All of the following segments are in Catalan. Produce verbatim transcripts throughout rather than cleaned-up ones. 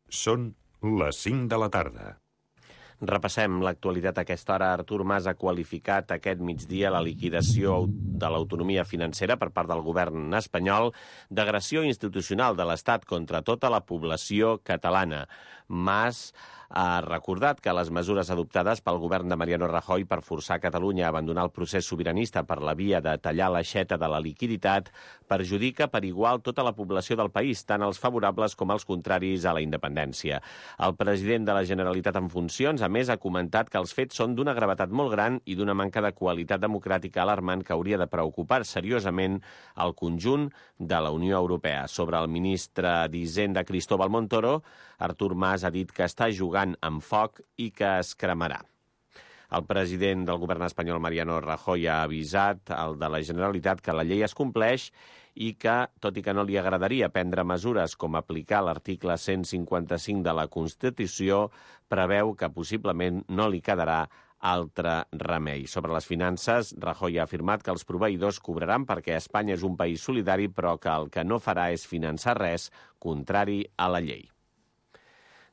Són les cinc de la tarda. Repassem l'actualitat a aquesta hora. Artur Mas ha qualificat aquest migdia la liquidació de l'autonomia financera per part del govern espanyol d'agressió institucional de l'Estat contra tota la població catalana. Mas ha recordat que les mesures adoptades pel govern de Mariano Rajoy per forçar Catalunya a abandonar el procés sobiranista per la via de tallar l'aixeta de la liquiditat perjudica per igual tota la població del país, tant els favorables com els contraris a la independència. El president de la Generalitat en funcions, a més, ha comentat que els fets són d'una gravetat molt gran i d'una manca de qualitat democràtica alarmant que hauria de preocupar seriosament el conjunt de la Unió Europea. Sobre el ministre d'Hisenda, Cristóbal Montoro, Artur Mas ha dit que està jugant amb foc i que es cremarà. El president del govern espanyol, Mariano Rajoy, ha avisat al de la Generalitat que la llei es compleix i que, tot i que no li agradaria prendre mesures com aplicar l'article cent cinquanta-cinc de la Constitució, preveu que possiblement no li quedarà altre remei. Sobre les finances, Rajoy ha afirmat que els proveïdors cobraran perquè Espanya és un país solidari, però que el que no farà és finançar res contrari a la llei.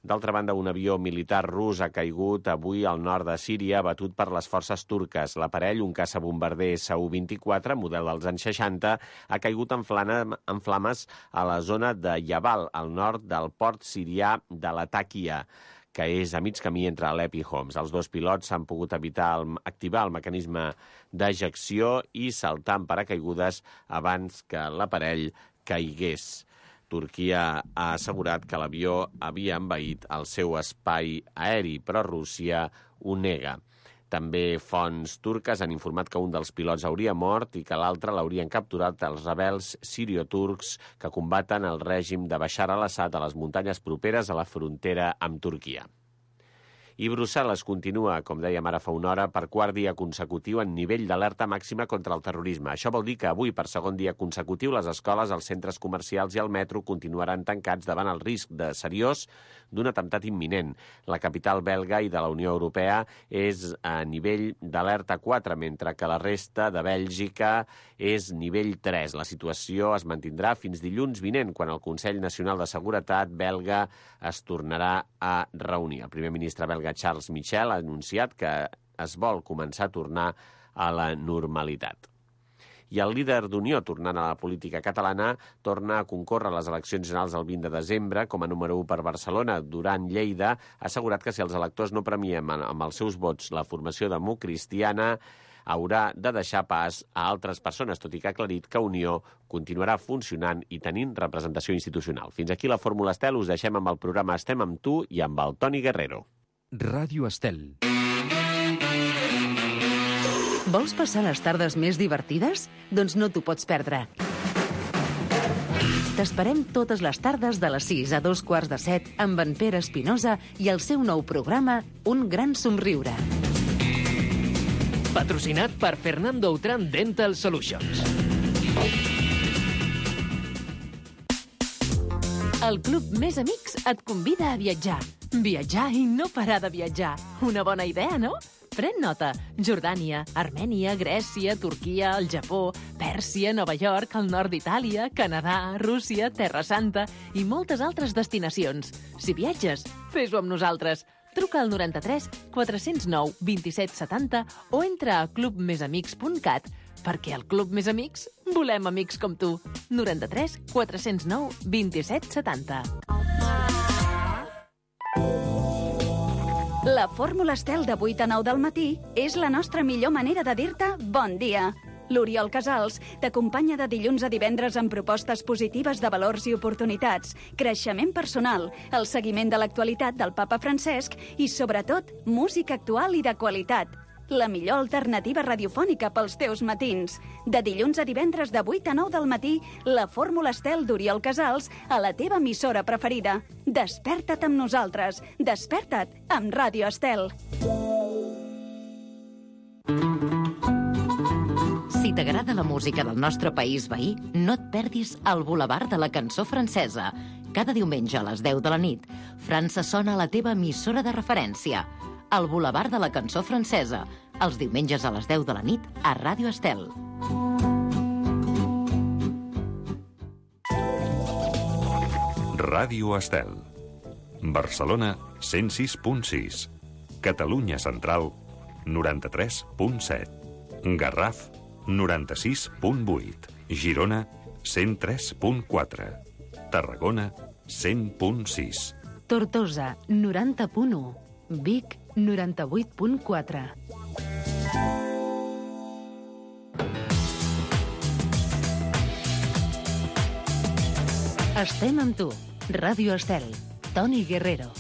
D'altra banda, un avió militar rus ha caigut avui al nord de Síria, abatut per les forces turques. L'aparell, un caçabombarder S U vint-i-quatre, model dels anys seixanta, ha caigut en, flana, en flames a la zona de Jabal, al nord del port sirià de Latakia, que és a mig camí entre Alep i Homs. Els dos pilots s'han pogut evitar el, activar el mecanisme d'ejecció i saltar amb paracaigudes abans que l'aparell caigués. Turquia ha assegurat que l'avió havia envaït el seu espai aeri, però Rússia ho nega. També fonts turques han informat que un dels pilots hauria mort i que l'altre l'haurien capturat els rebels sirio-turcs que combaten el règim de Bashar al-Assad a les muntanyes properes a la frontera amb Turquia. I Brussel·les continua, com dèiem ara fa una hora, per quart dia consecutiu en nivell d'alerta màxima contra el terrorisme. Això vol dir que avui, per segon dia consecutiu, les escoles, els centres comercials i el metro continuaran tancats davant el risc de seriós d'un atemptat imminent. La capital belga i de la Unió Europea és a nivell d'alerta quatre, mentre que la resta de Bèlgica és nivell tres. La situació es mantindrà fins dilluns vinent, quan el Consell Nacional de Seguretat belga es tornarà a reunir. El primer ministre belga Charles Michel ha anunciat que es vol començar a tornar a la normalitat. I el líder d'Unió, tornant a la política catalana, torna a concórrer a les eleccions generals el vint de desembre com a número u per Barcelona. Duran Lleida ha assegurat que si els electors no premien amb els seus vots la formació democristiana, haurà de deixar pas a altres persones, tot i que ha aclarit que Unió continuarà funcionant i tenint representació institucional. Fins aquí la Fórmula Estel, us deixem amb el programa Estem amb tu i amb el Toni Guerrero. Ràdio Estel. Vols passar les tardes més divertides? Doncs no t'ho pots perdre. T'esperem totes les tardes de les sis a dos quarts de set amb en Pere Espinosa i el seu nou programa Un gran somriure. Patrocinat per Fernando Outram Dental Solutions. El Club Més Amics et convida a viatjar. Viatjar i no parar de viatjar. Una bona idea, no? Pren nota. Jordània, Armènia, Grècia, Turquia, el Japó, Pèrsia, Nova York, el nord d'Itàlia, Canadà, Rússia, Terra Santa i moltes altres destinacions. Si viatges, fes-ho amb nosaltres. Truca al noranta-tres quatre-cents nou vint-i-set setanta o entra a club més amics punt cat perquè al Club Més Amics volem amics com tu. noranta-tres quatre-cents nou vint-i-set setanta. La fórmula Estel de vuit a nou del matí és la nostra millor manera de dir-te bon dia. L'Oriol Casals t'acompanya de dilluns a divendres amb propostes positives de valors i oportunitats, creixement personal, el seguiment de l'actualitat del papa Francesc i, sobretot, música actual i de qualitat. La millor alternativa radiofònica pels teus matins. De dilluns a divendres de vuit a nou del matí, la Fórmula Estel d'Oriol Casals a la teva emissora preferida. Desperta't amb nosaltres. Desperta't amb Ràdio Estel. Si t'agrada la música del nostre país veí, no et perdis el Boulevard de la Cançó Francesa. Cada diumenge a les deu de la nit, França sona a la teva emissora de referència. El Boulevard de la Cançó Francesa, els diumenges a les deu de la nit a Ràdio Estel. Ràdio Estel. Barcelona, cent sis punt sis. Catalunya Central, noranta-tres punt set. Garraf, noranta-sis punt vuit. Girona, cent tres punt quatre. Tarragona, cent punt sis. Tortosa, noranta punt u. Vic, noranta-vuit punt quatre. Estem amb tu. Ràdio Estel. Toni Guerrero.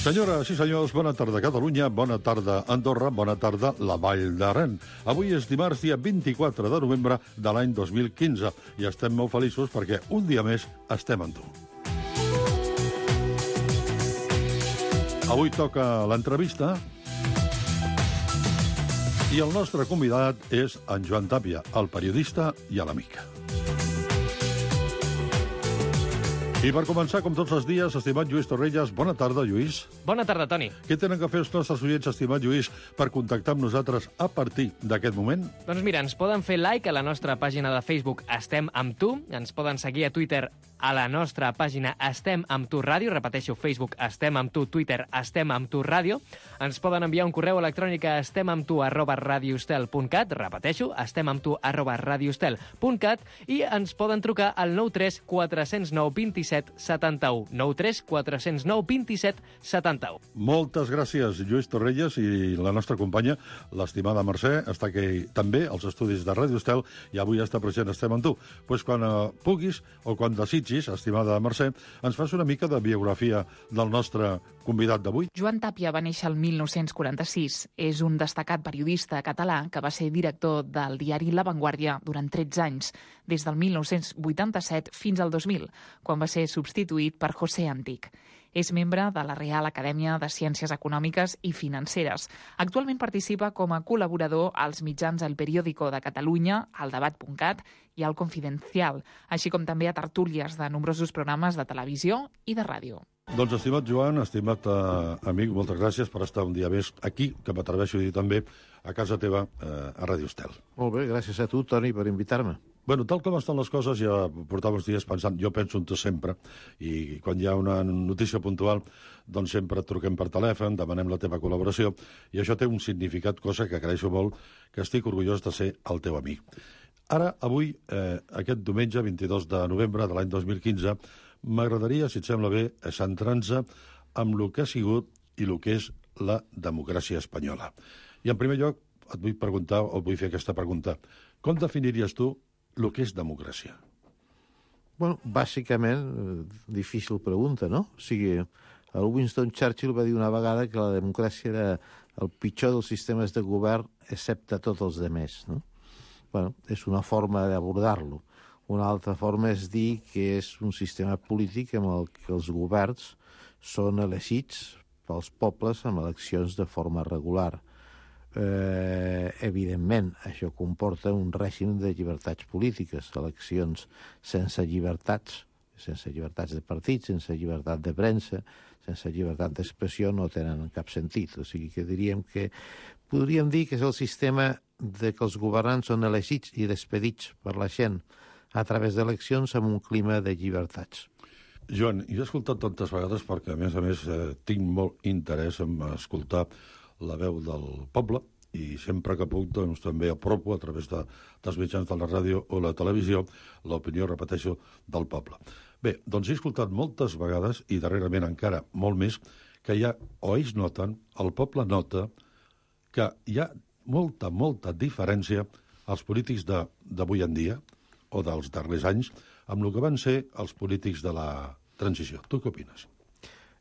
Senyores i senyors, bona tarda Catalunya, bona tarda Andorra, bona tarda la Vall d'Aran. Avui és dimarts, dia vint-i-quatre de novembre de l'any dos mil quinze, i estem molt feliços perquè un dia més estem amb tu. Avui toca l'entrevista i el nostre convidat és en Joan Tàpia, el periodista i l'amic. I per començar, com tots els dies, estimat Lluís Torrelles, bona tarda, Lluís. Bona tarda, Toni. Què tenen que fer els nostres oients, estimat Lluís, per contactar amb nosaltres a partir d'aquest moment? Doncs mira, ens poden fer like a la nostra pàgina de Facebook Estem amb tu, ens poden seguir a Twitter a la nostra pàgina Estem amb tu ràdio, repeteixo, Facebook Estem amb tu, Twitter Estem amb tu ràdio, ens poden enviar un correu electrònic a estemamtu arroba radiostel punt cat, repeteixo, estemamtu arroba radiostel punt cat, i ens poden trucar al nou tres quatre zero nou dos set setanta u, nou tres quatre zero nou dos set setanta u. Moltes gràcies, Lluís Torrelles, i la nostra companya, l'estimada Mercè, està aquí també als estudis de Ràdio Estel, i avui està present Estem amb tu. Pues quan eh, puguis, o quan desitgis, estimada Mercè, ens fas una mica de biografia del nostre convidat d'avui. Joan Tàpia va néixer el mil nou-cents quaranta-sis. És un destacat periodista català que va ser director del diari La Vanguardia durant tretze anys, des del mil nou-cents vuitanta-set fins al dos mil, quan va ser substituït per José Antic. És membre de la Real Acadèmia de Ciències Econòmiques i Financeres. Actualment participa com a col·laborador als mitjans El Periódico de Catalunya, al debat punt cat i al Confidencial, així com també a tertúlies de nombrosos programes de televisió i de ràdio. Doncs, estimat Joan, estimat eh, amic, moltes gràcies per estar un dia més aquí, que m'atreveixo a dir també, a casa teva, eh, a Ràdio Estel. Molt bé, gràcies a tu, Toni, per invitar-me. Bueno, tal com estan les coses, ja portava uns dies pensant, jo penso en tu sempre, i quan hi ha una notícia puntual, doncs sempre et truquem per telèfon, demanem la teva col·laboració, i això té un significat, cosa que agraeixo molt, que estic orgullós de ser el teu amic. Ara, avui, eh, aquest diumenge, vint-i-dos de novembre de l'any dos mil quinze, m'agradaria, si et sembla bé, centrar-nos amb el que ha sigut i el que és la democràcia espanyola. I, en primer lloc, et vull preguntar, o vull fer aquesta pregunta. Com definiries tu el que és democràcia? Bueno, bàsicament, difícil pregunta, no? O sigui, el Winston Churchill va dir una vegada que la democràcia era el pitjor dels sistemes de govern, excepte tots els demés, no? Bueno, és una forma d'abordar-lo. Una altra forma és dir que és un sistema polític amb el que els governs són elegits pels pobles amb eleccions de forma regular. Eh, evidentment, això comporta un règim de llibertats polítiques, eleccions sense llibertats, sense llibertats de partits, sense llibertat de premsa, sense llibertat d'expressió, no tenen cap sentit. O sigui que diríem que podríem dir que és el sistema de que els governants són elegits i despedits per la gent a través d'eleccions amb un clima de llibertats. Joan, jo he escoltat tantes vegades perquè, a més a més, eh, tinc molt interès en escoltar la veu del poble, i sempre que puc, doncs, també apropo a través de, dels mitjans de la ràdio o la televisió l'opinió, repeteixo, del poble. Bé, doncs he escoltat moltes vegades, i darrerament encara molt més, que hi ha, o ells noten, el poble nota, que hi ha molta, molta diferència als polítics d'avui en dia, o dels darrers anys, amb el que van ser els polítics de la transició. Tu què opines?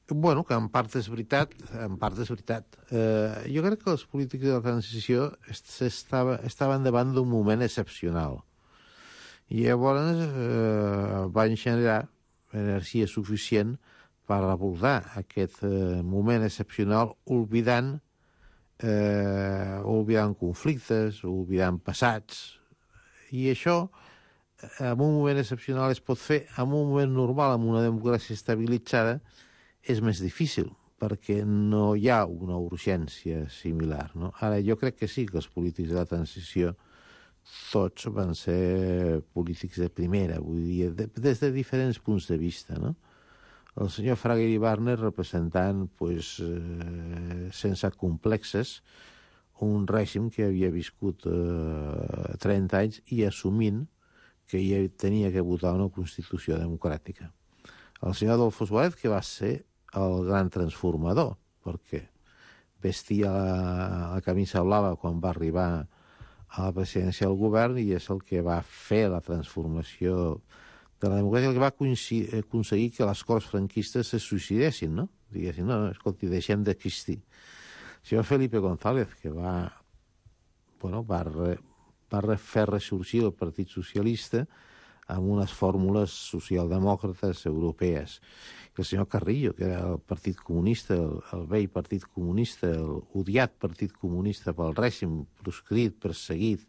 Bueno, que en part és veritat, en part és veritat. Eh, jo crec que els polítics de la transició estava, estaven davant d'un moment excepcional. I llavors eh, van generar energia suficient per abordar aquest eh, moment excepcional oblidant, eh, oblidant conflictes, oblidant passats. I això, en un moment excepcional, es pot fer. En un moment normal, amb una democràcia estabilitzada, és més difícil, perquè no hi ha una urgència similar, no? Ara, jo crec que sí, que els polítics de la transició tots van ser polítics de primera, vull dir, de, des de diferents punts de vista, no? el senyor Fraga Iribarne representant, pues, eh, sense complexes, un règim que havia viscut eh, trenta anys i assumint que hi tenia que votar una Constitució democràtica. El senyor Adolfo Suárez, que va ser el gran transformador, perquè vestia la, la camisa blava quan va arribar a la presidència del govern i és el que va fer la transformació de la democràcia, el que va aconseguir que les corts franquistes se suïcidessin, no? Diguessin, no, escolti, deixem d'existir. El senyor Felipe González, que va, bueno, va, re, va fer ressorgir el Partit Socialista amb unes fórmules socialdemòcrates europees. I el senyor Carrillo, que era el Partit Comunista, el, el vell Partit Comunista, el odiat Partit Comunista pel règim, proscrit, perseguit,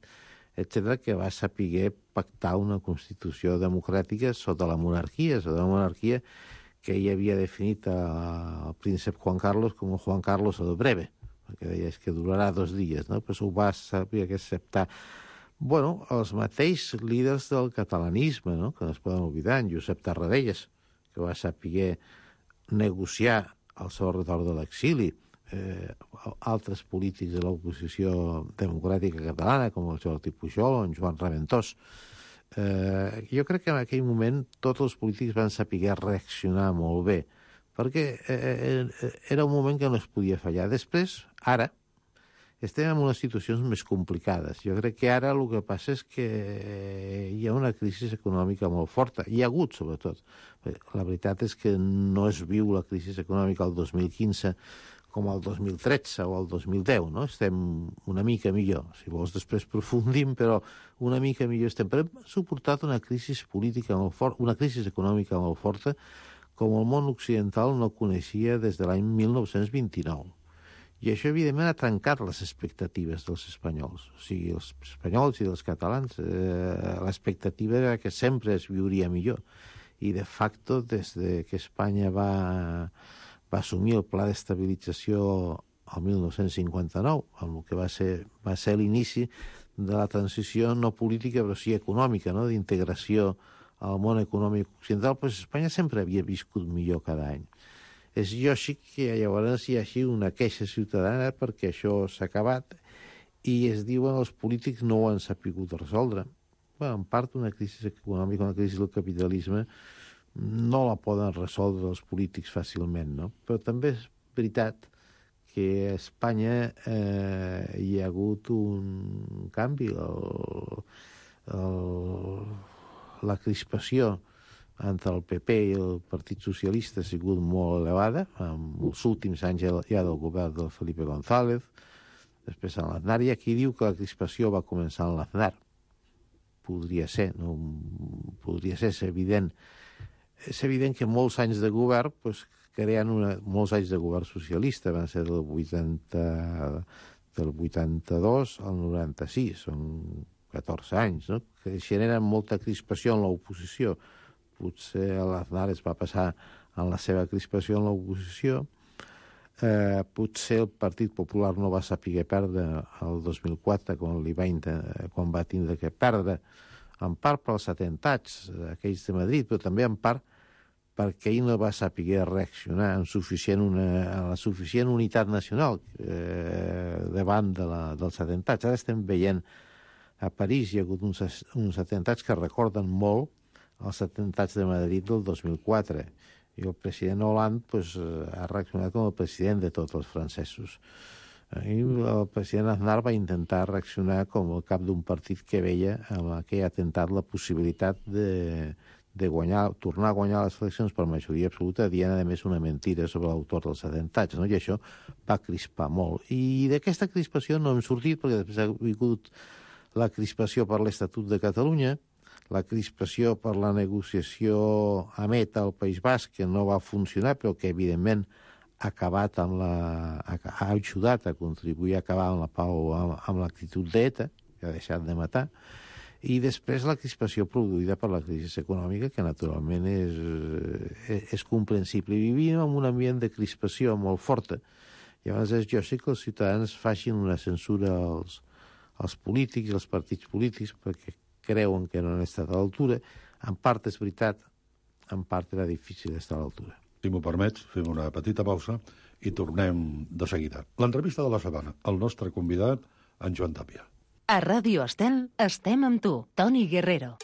etcètera, que va saber pactar una Constitució democràtica sota la monarquia, sota la monarquia que ell havia definit el príncep Juan Carlos com Juan Carlos el Breve, perquè deia que durarà dos dies, no? Però ho va saber acceptar. Bueno, els mateixos líders del catalanisme, no?, que no es poden oblidar, en Josep Tarradellas, que va saber negociar el seu retorn de l'exili, eh, altres polítics de l'oposició democràtica catalana, com el Jordi Pujol o en Joan Raventós. Eh, jo crec que en aquell moment tots els polítics van saber reaccionar molt bé, perquè eh, era un moment que no es podia fallar. Després, ara, estem en unes situacions més complicades. Jo crec que ara el que passa és que hi ha una crisi econòmica molt forta. Hi ha hagut, sobretot. La veritat és que no es viu la crisi econòmica el dos mil quinze com el dos mil tretze o el dos mil deu, no? Estem una mica millor. Si vols, després profundim, però una mica millor estem. Però hem suportat una crisi política molt forta, una crisi econòmica molt forta, com el món occidental no coneixia des de l'any mil nou-cents vint-i-nou. I això, evidentment, ha trencat les expectatives dels espanyols. O sigui, els espanyols i els catalans, eh, l'expectativa era que sempre es viuria millor. I, de facto, des de que Espanya va, va assumir el pla d'estabilització el mil nou-cents cinquanta-nou, amb el que va ser, va ser l'inici de la transició no política, però sí econòmica, no?, d'integració al món econòmic occidental, doncs Espanya sempre havia viscut millor cada any. És lògic que llavors hi hagi una queixa ciutadana perquè això s'ha acabat i es diuen els polítics no ho han sabut resoldre. Bé, en part una crisi econòmica, una crisi del capitalisme, no la poden resoldre els polítics fàcilment, no? Però també és veritat que a Espanya eh, hi ha hagut un canvi. El, el, la crispació entre el P P i el Partit Socialista ha sigut molt elevada, en els últims anys ja del govern del Felipe González, després en l'Aznar, i aquí diu que la crispació va començar en l'Aznar. Podria ser, no? Podria ser, és evident. És evident que molts anys de govern, doncs, creen una, molts anys de govern socialista, van ser del vuitanta, del vuitanta-dos al noranta-sis, són catorze anys, no?, que generen molta crispació en l'oposició. Potser l'Aznar es va passar en la seva crispació en l'oposició. Eh, potser el Partit Popular no va saber perdre el dos mil quatre quan, li va, quan va tindre que perdre, en part pels atentats aquells de Madrid, però també en part perquè ell no va saber reaccionar amb, suficient una, amb la suficient unitat nacional eh, davant de la, dels atentats. Ara estem veient a París hi ha hagut uns, uns atentats que recorden molt els atentats de Madrid del dos mil quatre. I el president Hollande pues, ha reaccionat com el president de tots els francesos. I el president Aznar va intentar reaccionar com el cap d'un partit que veia amb aquell atemptat la possibilitat de, de guanyar, tornar a guanyar les eleccions per majoria absoluta, dient a més una mentira sobre l'autor dels atentats, no? I això va crispar molt. I d'aquesta crispació no hem sortit, perquè després ha vingut la crispació per l'Estatut de Catalunya, la crispació per la negociació a Meta al País Basc, que no va funcionar, però que evidentment ha acabat amb la, ha ajudat a contribuir a acabar amb la pau, amb, amb l'actitud d'ETA, que ha deixat de matar, i després la crispació produïda per la crisi econòmica, que naturalment és, és comprensible. I vivim en un ambient de crispació molt forta. Llavors és lògic que els ciutadans facin una censura als, als polítics, als partits polítics, perquè creuen que no han estat a l'altura. En part és veritat, en part era difícil estar a l'altura. si m'ho permets, fem una petita pausa i tornem de seguida. L'entrevista de la setmana, el nostre convidat, en Joan Tàpia. A Ràdio Estel estem amb tu, Toni Guerrero.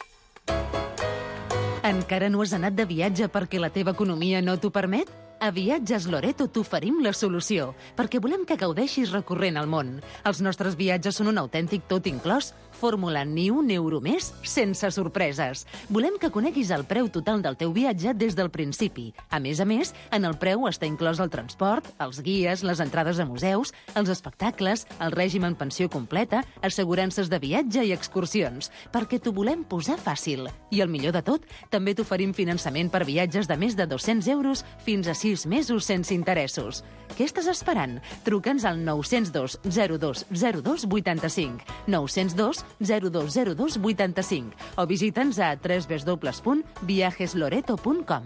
Encara no has anat de viatge perquè la teva economia no t'ho permet? A Viatges Loreto t'oferim la solució, perquè volem que gaudeixis recorrent el món. Els nostres viatges són un autèntic tot inclòs, fórmula ni un euro més sense sorpreses. Volem que coneguis el preu total del teu viatge des del principi. A més a més, en el preu està inclòs el transport, els guies, les entrades a museus, els espectacles, el règim en pensió completa, assegurances de viatge i excursions, perquè t'ho volem posar fàcil. I el millor de tot, també t'oferim finançament per viatges de més de dos-cents euros fins a sis mesos sense interessos. Què estàs esperant? Truca'ns al nou zero dos zero dos zero dos vuitanta-cinc, nou zero dos zero dos zero dos vuitanta-cinc o visita'ns a w w w punt viajes loreto punt com.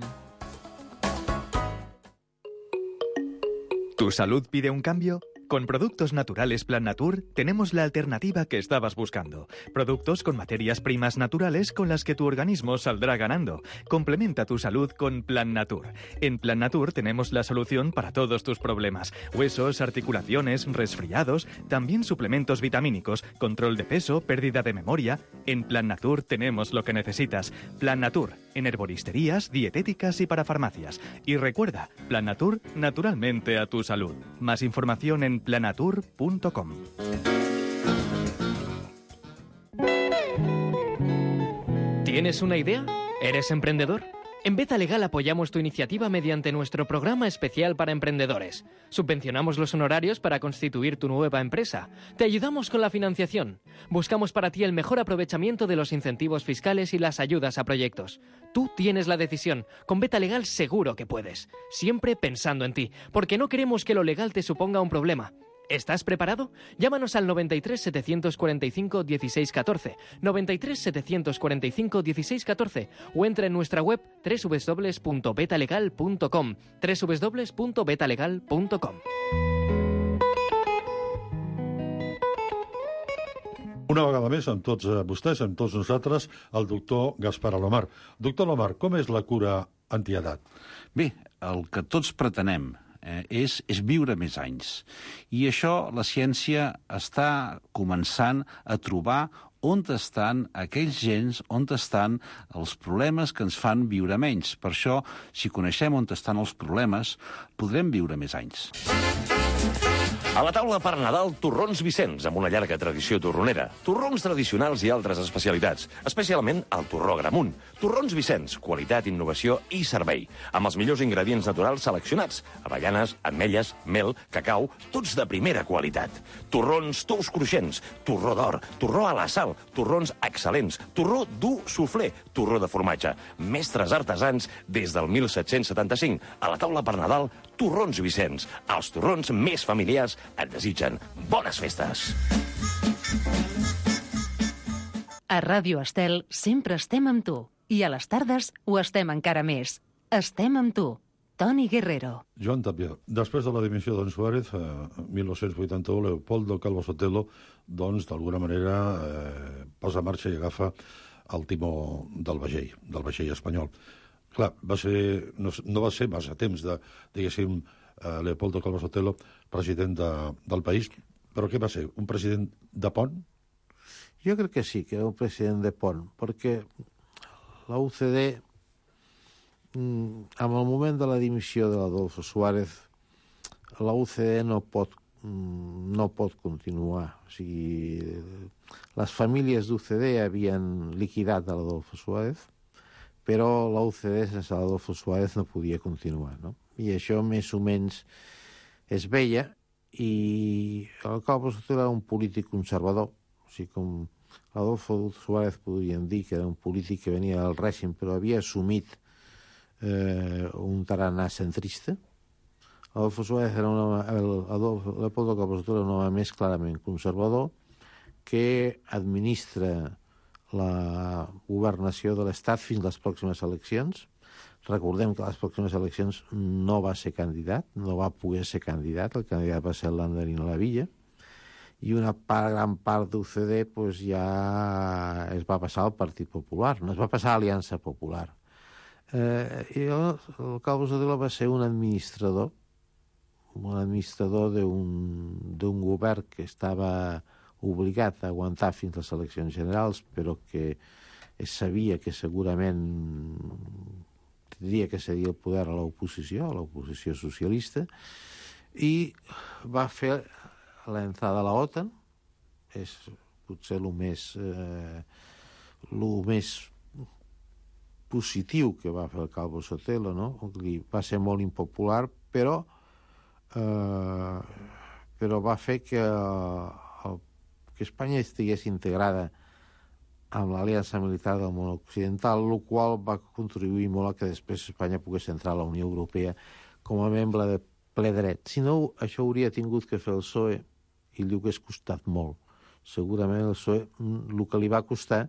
¿Tu salud pide un cambio? Con Productos Naturales Plan Natur tenemos la alternativa que estabas buscando. Productos con materias primas naturales con las que tu organismo saldrá ganando. Complementa tu salud con Plan Natur. En Plan Natur tenemos la solución para todos tus problemas. Huesos, articulaciones, resfriados, también suplementos vitamínicos, control de peso, pérdida de memoria. En Plan Natur tenemos lo que necesitas. Plan Natur, en herboristerías, dietéticas y para farmacias. Y recuerda, Plan Natur, naturalmente a tu salud. Más información en planatur punto com. ¿Tienes una idea? ¿Eres emprendedor? En Beta Legal apoyamos tu iniciativa mediante nuestro programa especial para emprendedores. Subvencionamos los honorarios para constituir tu nueva empresa. Te ayudamos con la financiación. Buscamos para ti el mejor aprovechamiento de los incentivos fiscales y las ayudas a proyectos. Tú tienes la decisión. Con Beta Legal seguro que puedes. Siempre pensando en ti, porque no queremos que lo legal te suponga un problema. ¿Estás preparado? Llámanos al noventa y tres, setecientos cuarenta y cinco, dieciséis catorce, noventa y tres, setecientos cuarenta y cinco, dieciséis catorce o entra en nuestra web doble u doble u doble u punto beta legal punto com, doble u doble u doble u punto beta legal punto com. Una vegada més, amb tots vostès, amb tots nosaltres, el doctor Gaspar Alomar. Doctor Alomar, com és la cura antiedat? Bé, el que tots pretenem eh, és, és viure més anys. I això la ciència està començant a trobar on estan aquells gens, on estan els problemes que ens fan viure menys. Per això, si coneixem on estan els problemes, podrem viure més anys. A la taula per Nadal, torrons Vicenç, amb una llarga tradició torronera. Torrons tradicionals i altres especialitats, especialment el torró Gramunt. Torrons Vicenç, qualitat, innovació i servei. Amb els millors ingredients naturals seleccionats. Avellanes, ametlles, mel, cacau, tots de primera qualitat. Torrons tous cruixents, torró d'or, torró a la sal, torrons excel·lents, torró dur suflé, torró de formatge. Mestres artesans des del mil set-cents setanta-cinc. A la taula per Nadal, torrons Vicenç. Els torrons més familiars et desitgen bones festes. A Ràdio Estel sempre estem amb tu. I a les tardes ho estem encara més. Estem amb tu. Toni Guerrero. Joan Tàpia, després de la dimissió d'en Suárez, eh, mil nou-cents vuitanta-u, Leopoldo Calvo Sotelo, doncs, d'alguna manera, eh, posa en marxa i agafa el timó del vaixell, del vaixell espanyol. Clar, va ser, no, no va ser massa temps de, diguéssim, eh, Leopoldo Calvo Sotelo, president de, del país, però què va ser? Un president de pont? Jo crec que sí, que era un president de pont, perquè la U C D, amb el moment de la dimissió de l'Adolfo Suárez, la U C D no pot, no pot continuar. O sigui, les famílies d'U C D havien liquidat a l'Adolfo Suárez, però la U C D sense l'Adolfo Suárez no podia continuar, no? I això més o menys es veia, i el Calvo Sotelo era un polític conservador, o sigui, com l'Adolfo Suárez podríem dir que era un polític que venia del règim, però havia assumit eh, un tarannà centrista. Adolfo Suárez era un home, el, Adolfo, Leopoldo Calvo Sotelo era un home més clarament conservador que administra la governació de l'Estat fins a les pròximes eleccions. Recordem que a les pròximes eleccions no va ser candidat, no va poder ser candidat, el candidat va ser l'Andarino Lavilla, i una part, gran part d'U C D pues, ja es va passar al Partit Popular, no es va passar a l'Aliança Popular. Eh, jo, el Calvo Sotelo va ser un administrador, un administrador d'un govern que estava obligat a aguantar fins a les eleccions generals, però que es sabia que segurament tindria que cedir el poder a l'oposició, a l'oposició socialista, i va fer l'entrada a la OTAN. És potser el més, eh, el més positiu que va fer el Calvo Sotelo, no? Va ser molt impopular, però eh, però va fer que, el, que Espanya estigués integrada amb l'aliança militar del món occidental, el qual va contribuir molt a que després Espanya pogués entrar a la Unió Europea com a membre de ple dret. Si no, això hauria tingut que fer el P S O E i li hagués costat molt. Segurament el P S O E el que li va costar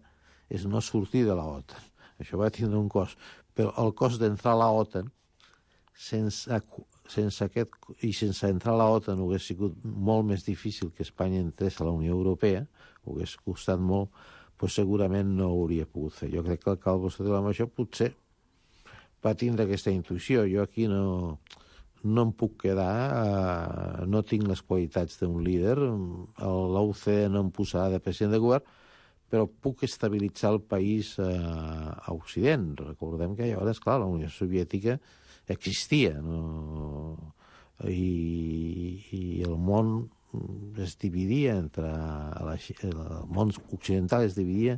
és no sortir de la OTAN. Això va tindre un cost. Però el cost d'entrar a la OTAN sense, sense aquest, i sense entrar a la OTAN hauria sigut molt més difícil que Espanya entrés a la Unió Europea, hauria costat molt, però segurament no ho hauria pogut fer. Jo crec que el Calvo Sotelo amb això potser va tindre aquesta intuïció. Jo aquí no, no em puc quedar, eh, no tinc les qualitats d'un líder, l'O C D E no em posarà de president de govern, però puc estabilitzar el país eh, a Occident. Recordem que llavors, clar, la Unió Soviètica existia, no? I, i el món es dividia entre la, el món occidental es dividia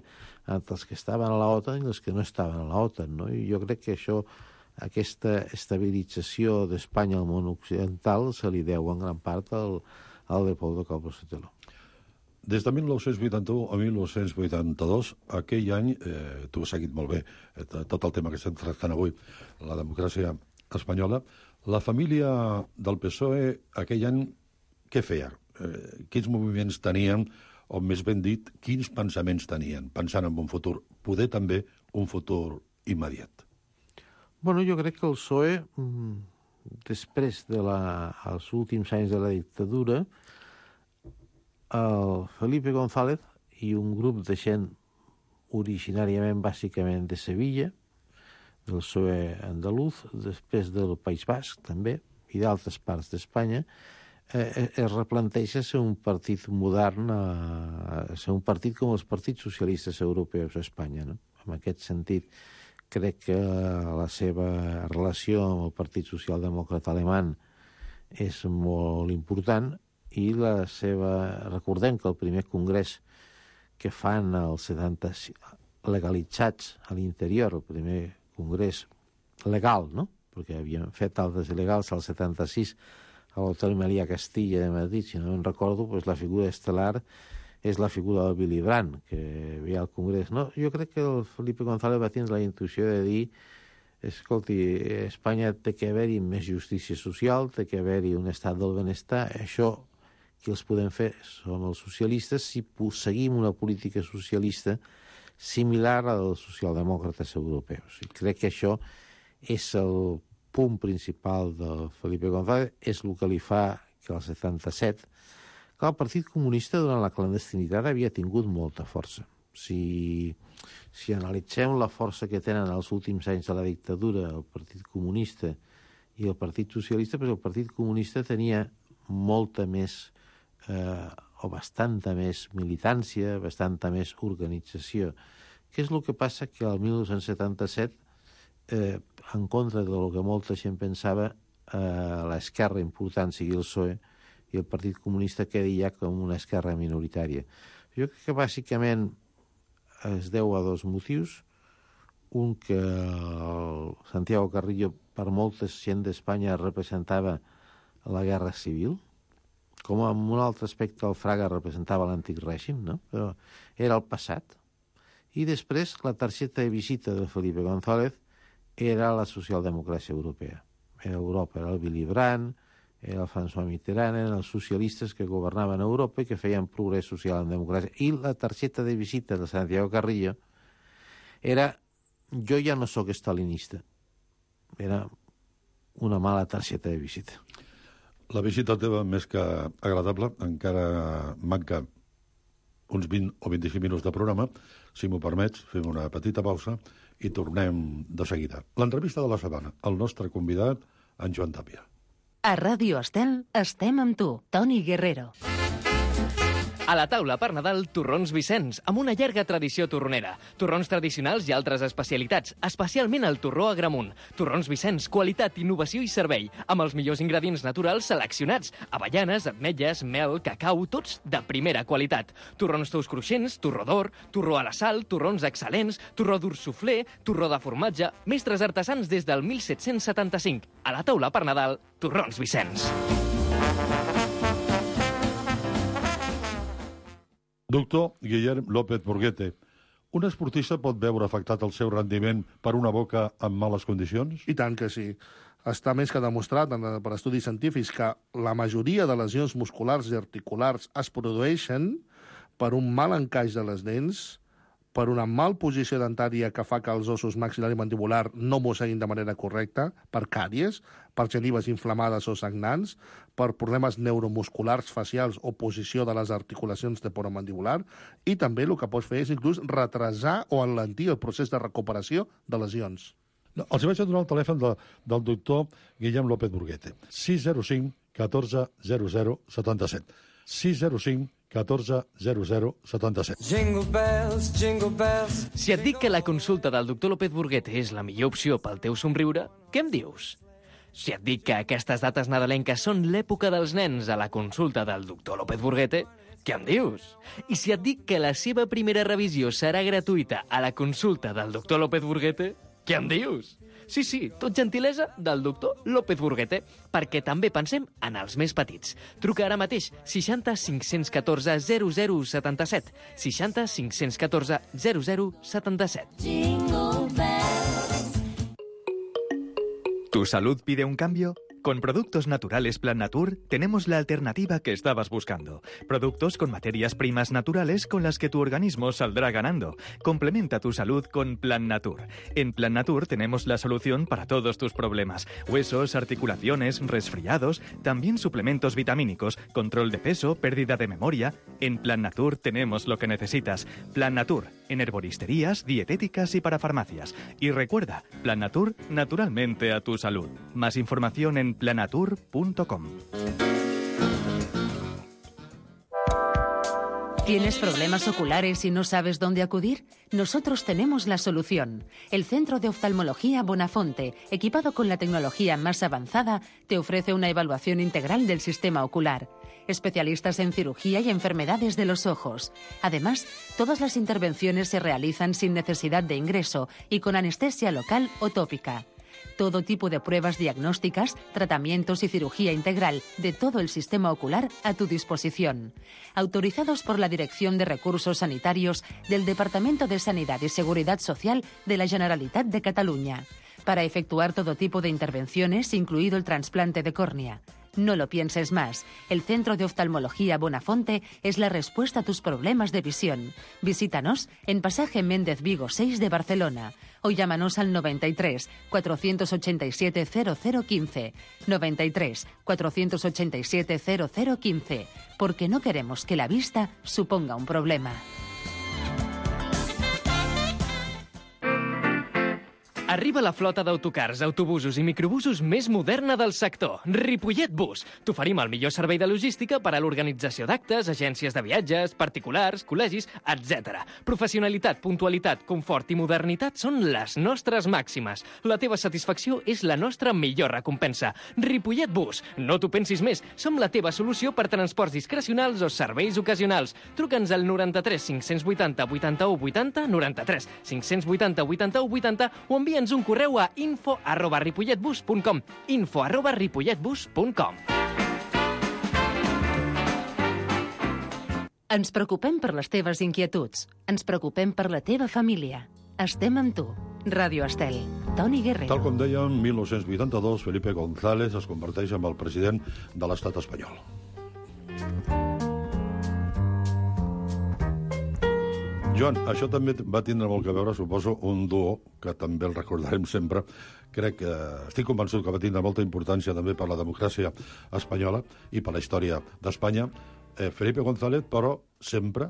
entre els que estaven a la OTAN i els que no estaven a la OTAN, no? I jo crec que això, aquesta estabilització d'Espanya al món occidental se li deu en gran part al, al Leopoldo Calvo Sotelo. Des de mil nou-cents vuitanta-u a mil nou-cents vuitanta-dos, aquell any, eh, tu has seguit molt bé eh, tot el tema que estem tractant avui, la democràcia espanyola, la família del P S O E aquell any què feia? Eh, quins moviments tenien, o més ben dit, quins pensaments tenien, pensant en un futur, poder també un futur immediat? Bueno, jo crec que el P S O E, després dels últims anys de la dictadura, el Felipe González i un grup de gent originàriament, bàsicament, de Sevilla, del P S O E andalús, després del País Basc, també, i d'altres parts d'Espanya, eh, es replanteja ser un partit modern, eh, ser un partit com els partits socialistes europeus a Espanya, no? En aquest sentit, crec que la seva relació amb el Partit Socialdemòcrata Alemany és molt important, i la seva... Recordem que el primer congrés que fan els setanta legalitzats a l'interior, el primer congrés legal, no? Perquè havien fet altres il·legals al setanta-sis a l'Hotel Meliá Castilla de Madrid, si no em recordo, doncs la figura estel·lar és la figura del Willy Brandt, que ve al congrés. No, jo crec que el Felipe González va tindre la intuïció de dir: escolti, a Espanya té que haver-hi més justícia social, té que haver-hi un estat del benestar, això qui els podem fer són els socialistes si seguim una política socialista similar als socialdemòcrates europeus. I crec que això és el punt principal del Felipe González, és el que li fa que al setanta-set... Clar, el Partit Comunista durant la clandestinitat havia tingut molta força. Si, si analitzem la força que tenen els últims anys de la dictadura el Partit Comunista i el Partit Socialista, però el Partit Comunista tenia molta més eh, o bastanta més militància, bastanta més organització. Què és el que passa? Que al dinou setanta-set, eh, en contra del que molta gent pensava, eh, l'esquerra important sigui el P S O E i el Partit Comunista quedi ja com una esquerra minoritària. Jo crec que bàsicament es deu a dos motius. Un, que el Santiago Carrillo per molta gent d'Espanya representava la guerra civil, com en un altre aspecte el Fraga representava l'antic règim, no? Però era el passat. I després la targeta de visita de Felipe González era la socialdemocràcia europea. Era Europa, era el Willy Brandt, era el François Mitterrand, eren els socialistes que governaven a Europa i que feien progrés social en democràcia. I la targeta de visita de Santiago Carrillo era: jo ja no sóc estalinista. Era una mala targeta de visita. La visita teva, més que agradable, encara manca uns vint o vint-i-cinc minuts de programa. Si m'ho permets, fem una petita pausa i tornem de seguida. L'entrevista de la setmana, el nostre convidat, en Joan Tàpia. A Ràdio Estel estem amb tu, Toni Guerrero. A la taula per Nadal, torrons Vicenç, amb una llarga tradició torronera. Torrons tradicionals i altres especialitats, especialment el torró Agramunt. Torrons Vicenç, qualitat, innovació i servei, amb els millors ingredients naturals seleccionats. Avellanes, ametlles, mel, cacau, tots de primera qualitat. Torrons tous cruixents, torró d'or, torró a la sal, torrons excel·lents, torró dur suflé, torró de formatge, mestres artesans des del mil set-cents setanta-cinc. A la taula per Nadal, torrons Vicenç. Doctor Guillem López Burguete, un esportista pot veure afectat el seu rendiment per una boca en males condicions? I tant que sí. Està més que demostrat per estudis científics que la majoria de lesions musculars i articulars es produeixen per un mal encaix de les dents, per una mal posició dentària que fa que els ossos maxil·lar i mandibular no mosseguin de manera correcta, per càries, per genives inflamades o sagnants, per problemes neuromusculars facials o posició de les articulacions temporomandibular, i també el que pots fer és inclús retrasar o enlentir el procés de recuperació de lesions. No, els vaig a donar el telèfon de, del doctor Guillem López Burguete. sis zero cinc, catorze, zero zero, setanta-set. sis zero cinc, catorze, zero zero, setanta-set. Jingle bells, jingle bells. Si et dic que la consulta del doctor López Burguete és la millor opció pel teu somriure, què em dius? Si et dic que aquestes dates nadalenques són l'època dels nens a la consulta del doctor López Burguete, què em dius? I si et dic que la seva primera revisió serà gratuïta a la consulta del doctor López Burguete, què em dius? Sí, sí, tot gentilesa del doctor López Burguete, perquè també pensem en els més petits. Truca ara mateix seixanta cinc-cents catorze zero zero setanta-set, seixanta cinc-cents catorze zero zero setanta-set. Jingle bells. ¿Tu salud pide un cambio? Con Productos Naturales Plan Natur tenemos la alternativa que estabas buscando. Productos con materias primas naturales con las que tu organismo saldrá ganando. Complementa tu salud con Plan Natur. En Plan Natur tenemos la solución para todos tus problemas. Huesos, articulaciones, resfriados, también suplementos vitamínicos, control de peso, pérdida de memoria. En Plan Natur tenemos lo que necesitas. Plan Natur, en herboristerías, dietéticas y para farmacias. Y recuerda, Plan Natur, naturalmente a tu salud. Más información en planatur punto com. ¿Tienes problemas oculares y no sabes dónde acudir? Nosotros tenemos la solución. El Centro de Oftalmología Bonafonte, equipado con la tecnología más avanzada, te ofrece una evaluación integral del sistema ocular. Especialistas en cirugía y enfermedades de los ojos. Además, todas las intervenciones se realizan sin necesidad de ingreso y con anestesia local o tópica. Todo tipo de pruebas diagnósticas, tratamientos y cirugía integral de todo el sistema ocular a tu disposición. Autorizados por la Dirección de Recursos Sanitarios del Departamento de Sanidad y Seguridad Social de la Generalitat de Cataluña. Para efectuar todo tipo de intervenciones, incluido el trasplante de córnea. No lo pienses más. El Centro de Oftalmología Bonafonte es la respuesta a tus problemas de visión. Visítanos en Pasaje Méndez Vigo seis de Barcelona o llámanos al noventa y tres, cuatrocientos ochenta y siete, cero cero quince. noventa y tres, cuatrocientos ochenta y siete, cero cero quince. Porque no queremos que la vista suponga un problema. Arriba la flota d'autocars, autobusos i microbusos més moderna del sector. Ripollet Bus. T'oferim el millor servei de logística per a l'organització d'actes, agències de viatges, particulars, col·legis, etcètera. Professionalitat, puntualitat, confort i modernitat són les nostres màximes. La teva satisfacció és la nostra millor recompensa. Ripollet Bus. No t'ho pensis més. Som la teva solució per transports discrecionals o serveis ocasionals. Truca'ns al noranta-tres cinc-cents vuitanta vuitanta-u vuitanta, noranta-tres cinc-cents vuitanta vuitanta-u vuitanta o envia Envia'ns un correu a info arroba ripolletbus punt com. info arroba ripolletbus punt com. Ens preocupem per les teves inquietuds. Ens preocupem per la teva família. Estem amb tu. Ràdio Estel. Toni Guerrero. Tal com deia, en mil nou-cents vuitanta-dos, Felipe González es converteix en el president de l'estat espanyol. Joan, això també va tindre molt que veure, suposo, un duo, que també el recordarem sempre. Crec que estic convençut que va tindre molta importància també per la democràcia espanyola i per la història d'Espanya. Eh, Felipe González, però sempre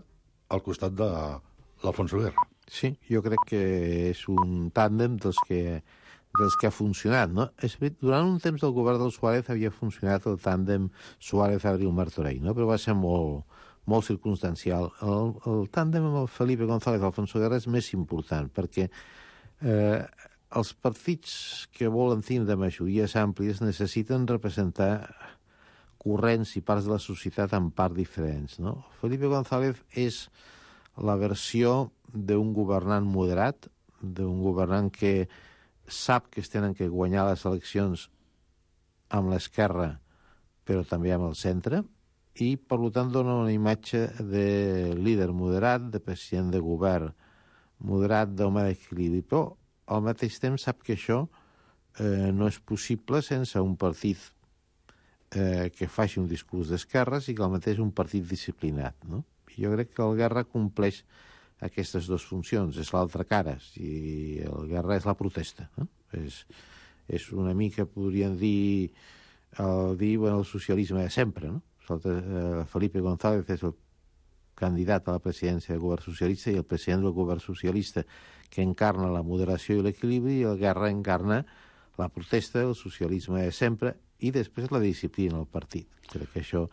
al costat de l'Alfonso Guerra. Sí, jo crec que és un tàndem dels que, dels que ha funcionat, no? És veritat, durant un temps del govern del Suárez havia funcionat el tàndem Suárez-Abril-Martorell, no? Però va ser molt, molt circumstancial. El, el tàndem amb el Felipe González Alfonso Guerra és més important, perquè eh, els partits que volen tindre majories àmplies necessiten representar corrents i parts de la societat en part diferents, no? Felipe González és la versió d'un governant moderat, d'un governant que sap que es tenen que guanyar les eleccions amb l'esquerra, però també amb el centre, i, per tant, dona una imatge de líder moderat, de president de govern moderat, d'home d'equilibri, però al mateix temps sap que això eh, no és possible sense un partit eh, que faci un discurs d'esquerres i que al mateix un partit disciplinat, no? Jo crec que el Guerra compleix aquestes dues funcions, és l'altra cara, i el Guerra és la protesta, no? És, és una mica, podríem dir, el, dir bueno, el socialisme de sempre, no? Felipe González és el candidat a la presidència del govern socialista i el president del govern socialista que encarna la moderació i l'equilibri, i el Guerra encarna la protesta, el socialisme de sempre i després la disciplina al partit. Crec que això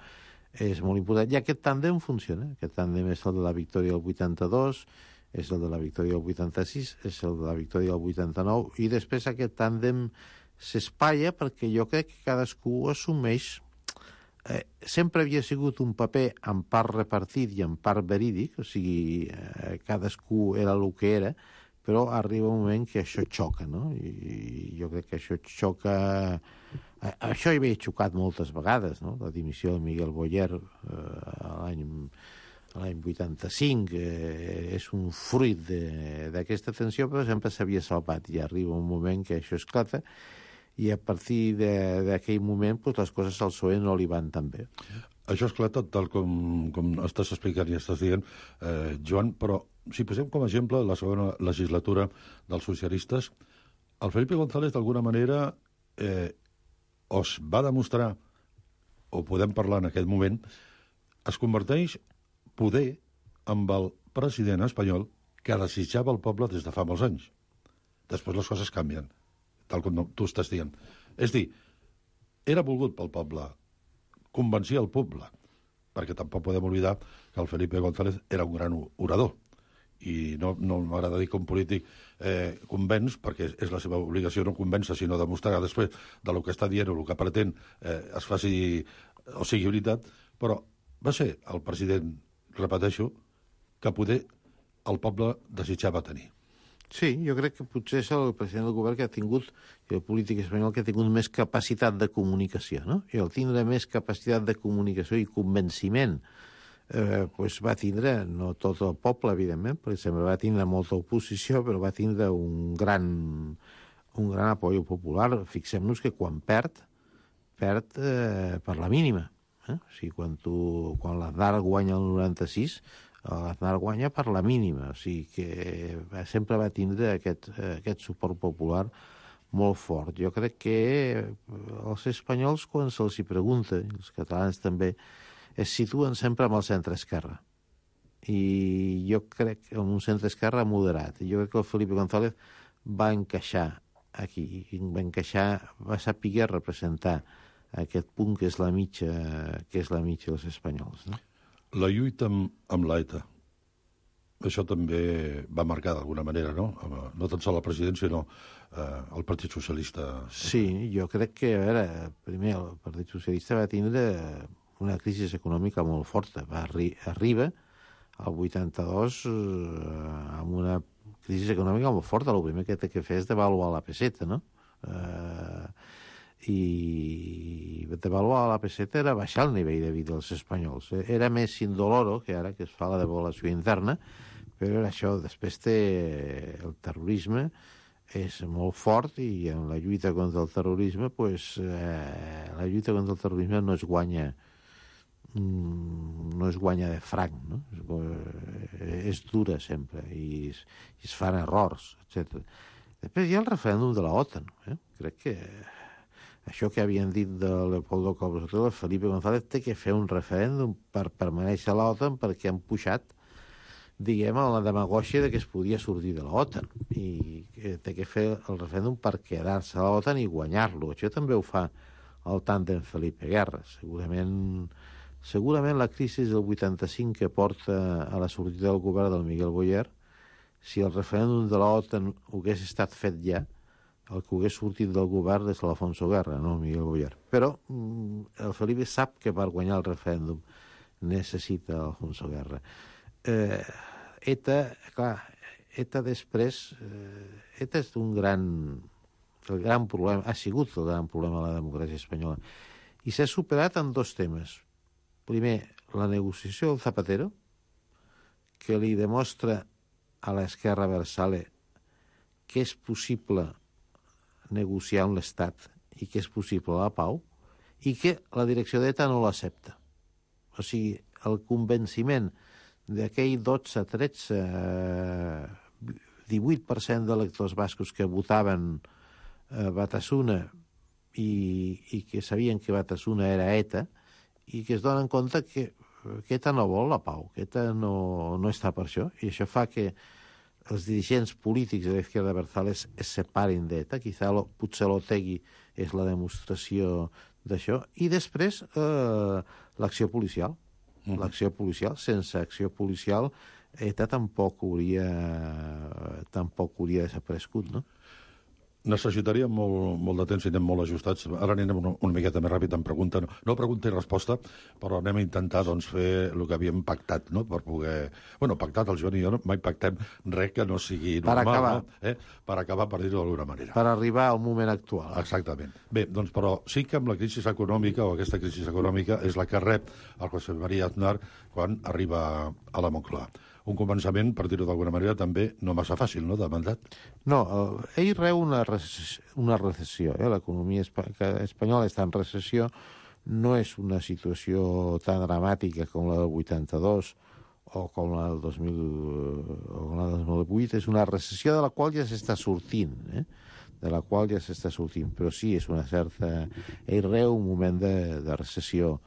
és molt important. I aquest tàndem funciona. Aquest tàndem és el de la victòria del vuitanta-dos, és el de la victòria del vuitanta-sis, és el de la victòria del vuitanta-nou, i després aquest tàndem s'espatlla perquè jo crec que cadascú assumeix... Eh, sempre havia sigut un paper en part repartit i en part verídic, o sigui, eh, cadascú era el que era, però arriba un moment que això xoca, no? I jo crec que això xoca... Això hi havia xocat moltes vegades, no? La dimissió de Miguel Boyer eh, l'any l'any vuitanta-cinc eh, és un fruit d'aquesta tensió, però sempre s'havia salvat, i arriba un moment que això esclata, i a partir d'aquell moment pues, les coses al P S O E no li van tan bé. Això esclata tal com, com estàs explicant i estàs dient, eh, Joan, però si posem com a exemple la segona legislatura dels socialistes, el Felipe González d'alguna manera eh, os va demostrar, o podem parlar en aquest moment, es converteix poder amb el president espanyol que desitjava el poble des de fa molts anys. Després les coses canvien, tal com tu estàs dient. És dir, era volgut pel poble, convencia el poble, perquè tampoc podem oblidar que el Felipe González era un gran orador, i no, no m'agrada dir que un polític eh, convenç, perquè és la seva obligació no convèncer, sinó demostrar després de lo que està dient o el que pretén eh, es faci o sigui veritat, però va ser el president, repeteixo, que poder el poble desitjava tenir. Sí, jo crec que potser és el president del govern que ha tingut, i el polític espanyol que ha tingut més capacitat de comunicació, no? I el tindre més capacitat de comunicació i convenciment eh, pues va tindre, no tot el poble, evidentment, perquè sempre va tindre molta oposició, però va tindre un gran, un gran apoyo popular. Fixem-nos que quan perd, perd eh, per la mínima. Eh? O sigui, quan, tu, quan l'Aznar guanya el noranta-sis, l'Aznar guanya per la mínima, o sigui que sempre va tindre aquest, aquest suport popular molt fort. Jo crec que els espanyols, quan se'ls hi pregunta, i els catalans també, es situen sempre amb el centre-esquerra. I jo crec que amb un centre-esquerra moderat. Jo crec que el Felipe González va encaixar aquí, va encaixar, va saber representar aquest punt que és la mitja, que és la mitja dels espanyols, no? La lluita amb, amb l'ETA, això també va marcar d'alguna manera, no? No tan sols la presidència, sinó eh, el Partit Socialista. Sí, jo crec que, a veure, primer el Partit Socialista va tindre una crisi econòmica molt forta. Va arri arriba al vuitanta-dos eh, amb una crisi econòmica molt forta. El primer que té que fer és devaluar la peseta, no? Eh, i devaluar la peseta era baixar el nivell de vida dels espanyols. Era més indoloro que ara que es fa la devaluació interna, però era això. Després té el terrorisme, és molt fort, i en la lluita contra el terrorisme, pues, eh, la lluita contra el terrorisme no es guanya no es guanya de franc, no? És, és dura sempre, i es, i es fan errors, etcètera. Després hi ha el referèndum de la OTAN. Eh? Crec que això que havien dit de Leopoldo Calvo Sotelo, Felipe González té que fer un referèndum per permanèixer a l'OTAN perquè han pujat diguem, a la demagògia de que es podia sortir de l'OTAN i que té que fer el referèndum per quedar-se a l'OTAN i guanyar-lo. Això també ho fa el tàndem Felipe Guerra. Segurament, segurament la crisi del vuitanta-cinc que porta a la sortida del govern del Miguel Boyer, si el referèndum de l'OTAN hagués estat fet ja, el que hagués sortit del govern és l'Alfonso Guerra, no el Miguel Boyer. Però el Felipe sap que per guanyar el referèndum necessita Alfonso Guerra. Eh, ETA, clar, ETA després... Eh, ETA és un gran... El gran problema, ha sigut el gran problema de la democràcia espanyola. I s'ha superat en dos temes. Primer, la negociació del Zapatero, que li demostra a l'esquerra Versale que és possible negociar amb l'Estat i que és possible la pau, i que la direcció d'ETA no l'accepta. O sigui, el convenciment d'aquell dotze, tretze, divuit per cent d'electors bascos que votaven a Batasuna i, i que sabien que Batasuna era ETA i que es donen compte que, que ETA no vol la pau, que ETA no, no està per això, i això fa que els dirigents polítics de l'Izquierda Abertzale es, es separin d'ETA. Quizà lo, potser l'Otegui és la demostració d'això. I després eh, l'acció policial. Mm-hmm. L'acció policial. Sense acció policial ETA tampoc hauria, tampoc hauria desaparegut, no? Necessitaríem molt, molt de temps i anem molt ajustats. Ara anem una, una miqueta més ràpid en pregunta. No, no pregunta i resposta, però anem a intentar doncs, fer el que havíem pactat, no? Per poder... Bueno, pactat, el Joan i jo no, mai pactem res que no sigui normal. Per acabar. No? Eh? Per acabar, per dir-ho d'alguna manera. Per arribar al moment actual. Exactament. Bé, doncs, però sí que amb la crisi econòmica, o aquesta crisi econòmica, és la que rep el José María Aznar quan arriba a la Moncloa. Un començament, per dir-ho d'alguna manera, també no massa fàcil, no?, de mandat. No, ell reu una recessió. Una recessió eh? L'economia espanyola està en recessió. No és una situació tan dramàtica com la del vuitanta-dos o com la del dos mil, o la del dos mil vuit. És una recessió de la qual ja s'està sortint, eh? de la qual ja s'està sortint. Però sí, és una certa... Ell reu un moment de, de recessió,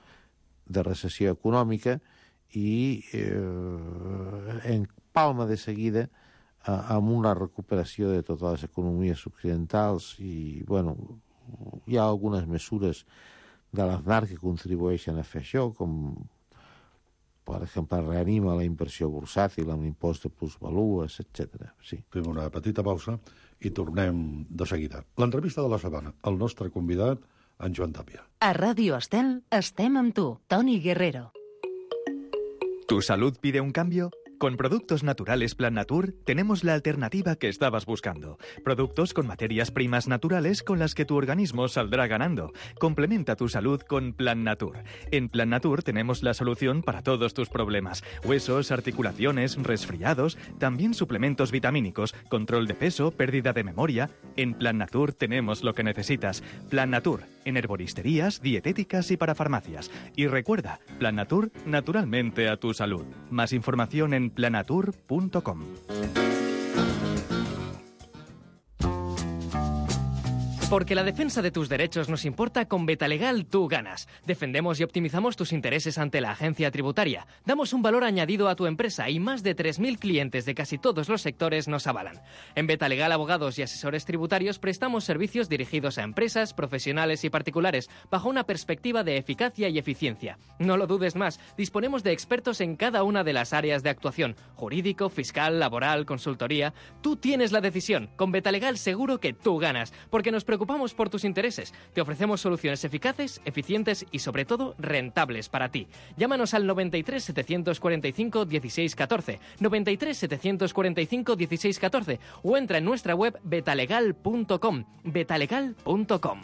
de recessió econòmica, i eh, en palma de seguida eh, amb una recuperació de totes les economies occidentals i, bueno, hi ha algunes mesures de l'Aznar que contribueixen a fer això, com, per exemple, reanima la inversió bursàtil amb l'impost de plusvalues, etcètera. Sí. Fem una petita pausa i tornem de seguida. L'entrevista de la setmana, el nostre convidat, en Joan Tàpia. A Ràdio Estel estem amb tu, Toni Guerrero. ¿Tu salud pide un cambio? Con Productos Naturales Plan Natur tenemos la alternativa que estabas buscando. Productos con materias primas naturales con las que tu organismo saldrá ganando. Complementa tu salud con Plan Natur. En Plan Natur tenemos la solución para todos tus problemas. Huesos, articulaciones, resfriados, también suplementos vitamínicos, control de peso, pérdida de memoria. En Plan Natur tenemos lo que necesitas. Plan Natur, en herboristerías, dietéticas y para farmacias. Y recuerda, Plan Natur, naturalmente a tu salud. Más información en planatur punto com. Porque la defensa de tus derechos nos importa, con Betalegal tú ganas. Defendemos y optimizamos tus intereses ante la agencia tributaria. Damos un valor añadido a tu empresa y más de tres mil clientes de casi todos los sectores nos avalan. En Betalegal Abogados y Asesores Tributarios prestamos servicios dirigidos a empresas, profesionales y particulares bajo una perspectiva de eficacia y eficiencia. No lo dudes más, disponemos de expertos en cada una de las áreas de actuación. Jurídico, fiscal, laboral, consultoría. Tú tienes la decisión. Con Betalegal seguro que tú ganas, porque nos preocupamos Preocupamos por tus intereses. Te ofrecemos soluciones eficaces, eficientes y, sobre todo, rentables para ti. Llámanos al noventa y tres, setecientos cuarenta y cinco, dieciséis catorce, noventa y tres, setecientos cuarenta y cinco, dieciséis catorce o entra en nuestra web betalegal punto com. betalegal punto com.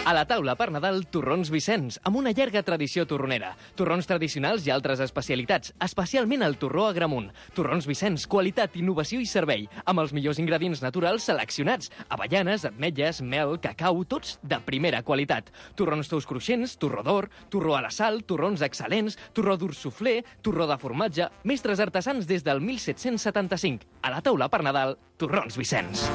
A la taula per Nadal, Torrons Vicenç, amb una llarga tradició torronera. Torrons tradicionals i altres especialitats, especialment el torró Agramunt. Torrons Vicenç, qualitat, innovació i servei, amb els millors ingredients naturals seleccionats. Avellanes, ametlles, mel, cacau, tots de primera qualitat. Torrons tous cruixents, torró d'or, torró a la sal, torrons excel·lents, torró dur suflé, torró de formatge, mestres artesans des del mil set-cents setanta-cinc. A la taula per Nadal, Torrons Vicenç.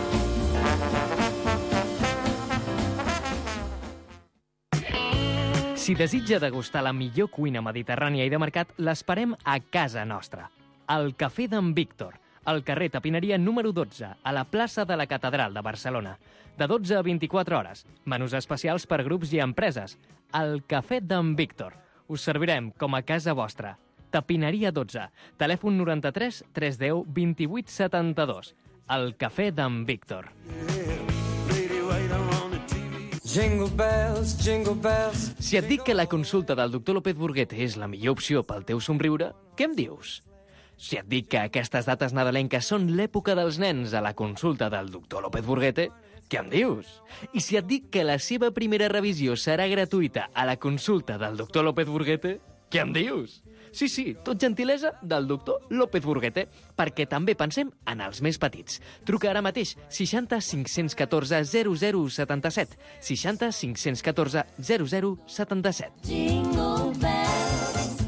Si desitja degustar la millor cuina mediterrània i de mercat, l'esperem a casa nostra. Al Cafè d'en Víctor, al carrer Tapineria número dotze, a la plaça de la Catedral de Barcelona. De dotze a vint-i-quatre hores. Menús especials per grups i empreses. Al Cafè d'en Víctor. Us servirem com a casa vostra. Tapineria dotze. Telèfon noranta-tres tres deu vint-i-vuit setanta-dos. El Cafè d'en Víctor. Jingle bells, jingle bells. Si et dic que la consulta del doctor López Burguete és la millor opció pel teu somriure, què em dius? Si et dic que aquestes dates nadalenques són l'època dels nens a la consulta del doctor López Burguete, què em dius? I si et dic que la seva primera revisió serà gratuïta a la consulta del doctor López Burguete, què em dius? Sí, sí, tot gentilesa del doctor López Burguete, perquè també pensem en els més petits. Truca ara mateix seixanta cinc-cents catorze zero zero setanta-set. seixanta cinc-cents catorze zero zero setanta-set. Jingle bells.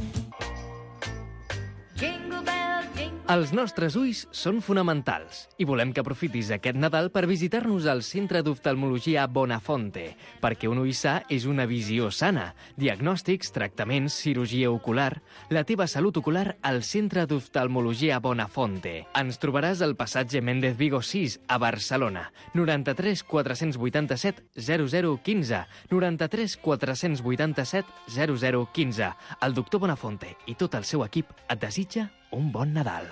Jingle bells, jingle. Els nostres ulls són fonamentals i volem que aprofitis aquest Nadal per visitar-nos al Centre d'Oftalmologia Bonafonte, perquè un ull sa és una visió sana. Diagnòstics, tractaments, cirurgia ocular... La teva salut ocular al Centre d'Oftalmologia Bonafonte. Ens trobaràs al passatge Méndez Vigo sis, a Barcelona. noranta-tres quatre-cents vuitanta-set zero zero quinze. noranta-tres quatre-cents vuitanta-set zero zero quinze. El doctor Bonafonte i tot el seu equip et desitja un bon Nadal.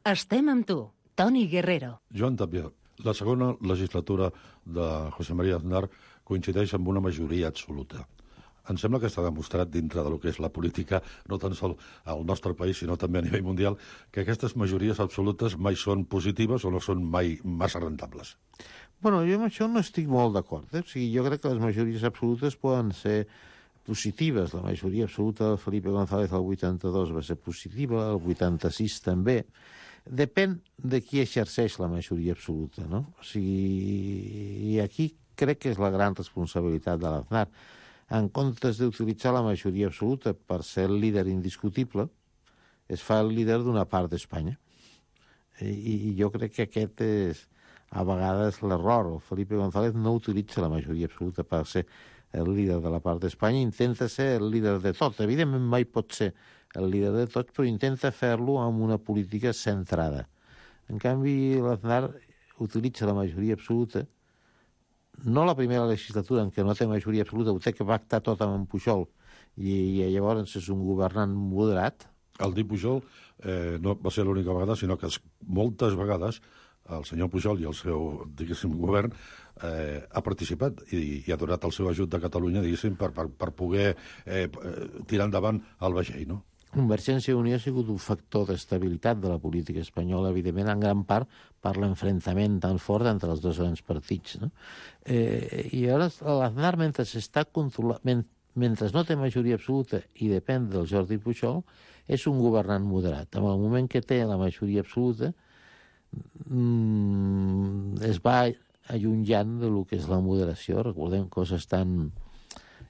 Estem amb tu, Toni Guerrero. Joan Tapià, la segona legislatura de José María Aznar coincideix amb una majoria absoluta. Em sembla que està demostrat dintre del que és la política, no tan sol al nostre país, sinó també a nivell mundial, que aquestes majories absolutes mai són positives o no són mai massa rentables. Bueno, jo amb això no estic molt d'acord. Eh? O sigui, jo crec que les majories absolutes poden ser positives. La majoria absoluta de Felipe González al vuitanta-dos va ser positiva, el vuitanta-sis també. Depèn de qui exerceix la majoria absoluta, no? O sigui, i aquí crec que és la gran responsabilitat de l'Aznar. En comptes d'utilitzar la majoria absoluta per ser el líder indiscutible, es fa el líder d'una part d'Espanya. I, I jo crec que aquest és, a vegades, l'error. El Felipe González no utilitza la majoria absoluta per ser el líder de la part d'Espanya, intenta ser el líder de tot. Evidentment mai pot ser el líder de tot, però intenta fer-lo amb una política centrada. En canvi, l'Aznar utilitza la majoria absoluta, no la primera legislatura en què no té majoria absoluta, ho té que pactar tot amb en Pujol, i, i llavors és un governant moderat. El dir Pujol eh, no va ser l'única vegada, sinó que moltes vegades el senyor Pujol i el seu, diguéssim, govern eh, ha participat i, i ha donat el seu ajut de Catalunya, diguéssim, per, per, per poder eh, tirar endavant el vaixell, no? Convergència i Unió ha sigut un factor d'estabilitat de la política espanyola, evidentment, en gran part per l'enfrontament tan fort entre els dos grans partits, no? Eh, I ara l'Aznar, mentre s'està controlant, men, mentre no té majoria absoluta i depèn del Jordi Pujol, és un governant moderat. En el moment que té la majoria absoluta, mm, es va allunyant de lo que és la moderació. Recordem coses tan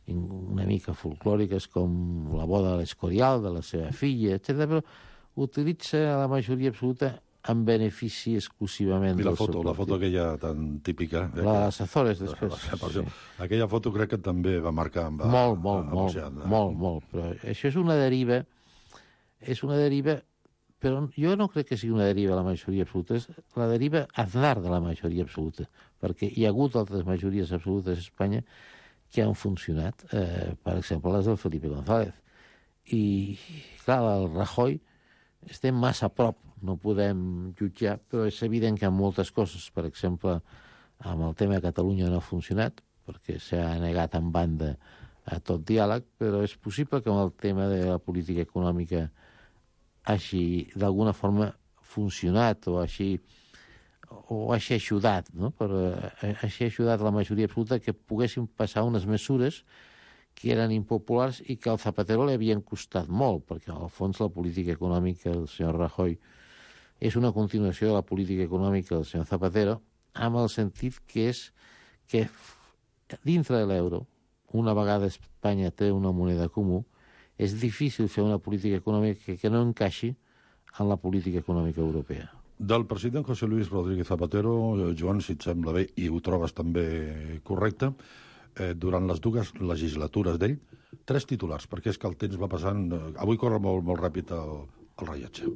una mica folclòriques com la boda de l'Escorial, de la seva filla, etcètera, però utilitza la majoria absoluta en benefici exclusivament I la del foto, seu la foto aquella tan típica... Eh, la de les Azores, després. Sí. Aquella foto crec que també va marcar... Va, molt, molt, va, molt, va, molt, molt. Però això és una deriva, és una deriva, però jo no crec que sigui una deriva la majoria absoluta, és la deriva Aznar de la majoria absoluta, perquè hi ha hagut altres majories absolutes a Espanya que han funcionat, eh, per exemple, les del Felipe González. I, clar, el Rajoy estem massa a prop, no podem jutjar, però és evident que en moltes coses, per exemple, amb el tema de Catalunya no ha funcionat, perquè s'ha negat en banda a tot diàleg, però és possible que amb el tema de la política econòmica hagi, d'alguna forma, funcionat o hagi o hagi ajudat, no? Per, eh, hagi ajudat la majoria absoluta que poguessin passar unes mesures que eren impopulars i que al Zapatero li havien costat molt, perquè al fons la política econòmica del senyor Rajoy és una continuació de la política econòmica del senyor Zapatero, amb el sentit que és que dintre de l'euro, una vegada Espanya té una moneda comú, és difícil fer una política econòmica que, que no encaixi en la política econòmica europea. Del president José Luis Rodríguez Zapatero, Joan, si et sembla bé, i ho trobes també correcte, eh, durant les dues legislatures d'ell, tres titulars, perquè és que el temps va passant... Eh, avui corre molt, molt ràpid el, el rellotge.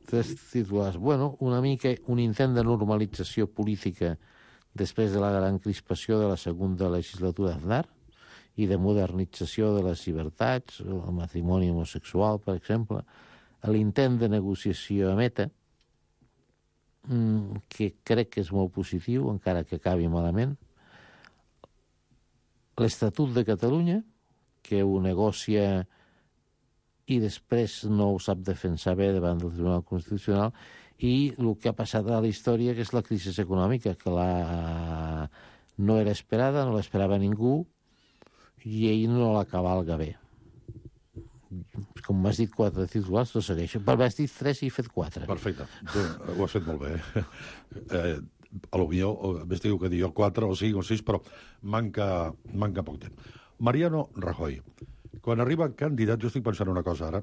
Tres titulars. Bueno, una mica un intent de normalització política després de la gran crispació de la segona legislatura d'Aznar i de modernització de les llibertats, el matrimoni homosexual, per exemple, l'intent de negociació a Meta, que crec que és molt positiu, encara que acabi malament, l'Estatut de Catalunya, que ho negocia i després no ho sap defensar bé davant del Tribunal Constitucional, i el que ha passat a la història, que és la crisi econòmica, que la... no era esperada, no l'esperava ningú, i ell no la cavalga bé. Com m'has dit quatre titulars, no segueixo. Però m'has dit tres i he fet quatre. Perfecte. Tu ho has fet molt bé. Eh, a lo millor, més diu que diu quatre o cinc o sis, però manca, manca poc temps. Mariano Rajoy. Quan arriba candidat, jo estic pensant una cosa ara,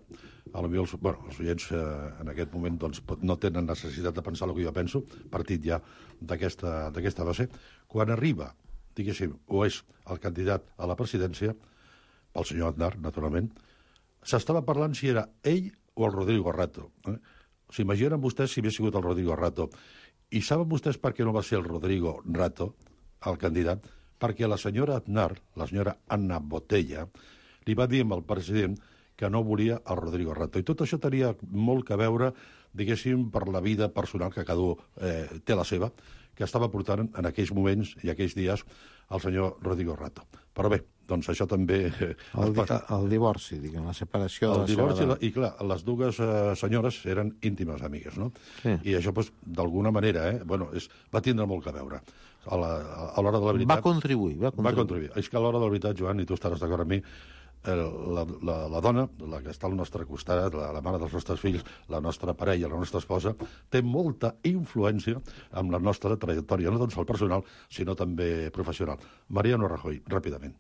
a lo millor els, bueno, els oients eh, en aquest moment doncs, no tenen necessitat de pensar el que jo penso, partit ja d'aquesta base. Quan arriba, diguéssim, o és el candidat a la presidència, pel senyor Aznar, naturalment, s'estava parlant si era ell o el Rodrigo Rato. Eh? S'imaginen vostès si havia sigut el Rodrigo Rato. I saben vostès per què no va ser el Rodrigo Rato, el candidat? Perquè la senyora Aznar, la senyora Anna Botella, li va dir al president que no volia el Rodrigo Rato. I tot això tenia molt que veure, diguéssim, per la vida personal, que cada un eh, té la seva, que estava portant en aquells moments i aquells dies el senyor Rodrigo Rato. Però bé, doncs això també... Eh, el, di el divorci, diguem, la separació el de la divorci, seva... I, I clar, les dues eh, senyores eren íntimes amigues, no? Sí. I això, doncs, d'alguna manera, eh, bueno, és, va tindre molt que veure. A l'hora de la veritat... Va contribuir, va contribuir. Va contribuir. És que a l'hora de la veritat, Joan, i tu estaràs d'acord amb mi, La, la, la dona, la que està al nostre costat, la, la mare dels nostres fills, la nostra parella, la nostra esposa, té molta influència amb la nostra trajectòria, no tant el personal, sinó també professional. Mariano Rajoy, ràpidament.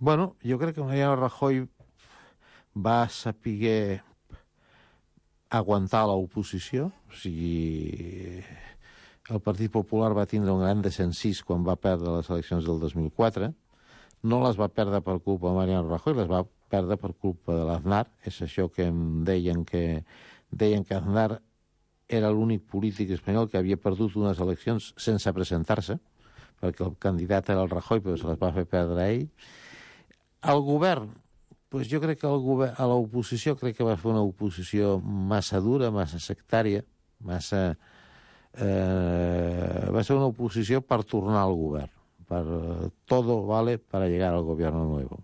Bueno, jo crec que Mariano Rajoy va saber aguantar l'oposició, o sigui, el Partit Popular va tindre un gran descensís quan va perdre les eleccions del dos mil quatre, no les va perdre per culpa de Mariano Rajoy, les va perdre per culpa de l'Aznar. És això que em deien que deien que Aznar era l'únic polític espanyol que havia perdut unes eleccions sense presentar-se, perquè el candidat era el Rajoy, però se les va fer perdre a ell. El govern, doncs jo crec que el govern, a l'oposició crec que va fer una oposició massa dura, massa sectària, massa... Eh, va ser una oposició per tornar al govern. Per, todo vale para llegar al gobierno nuevo.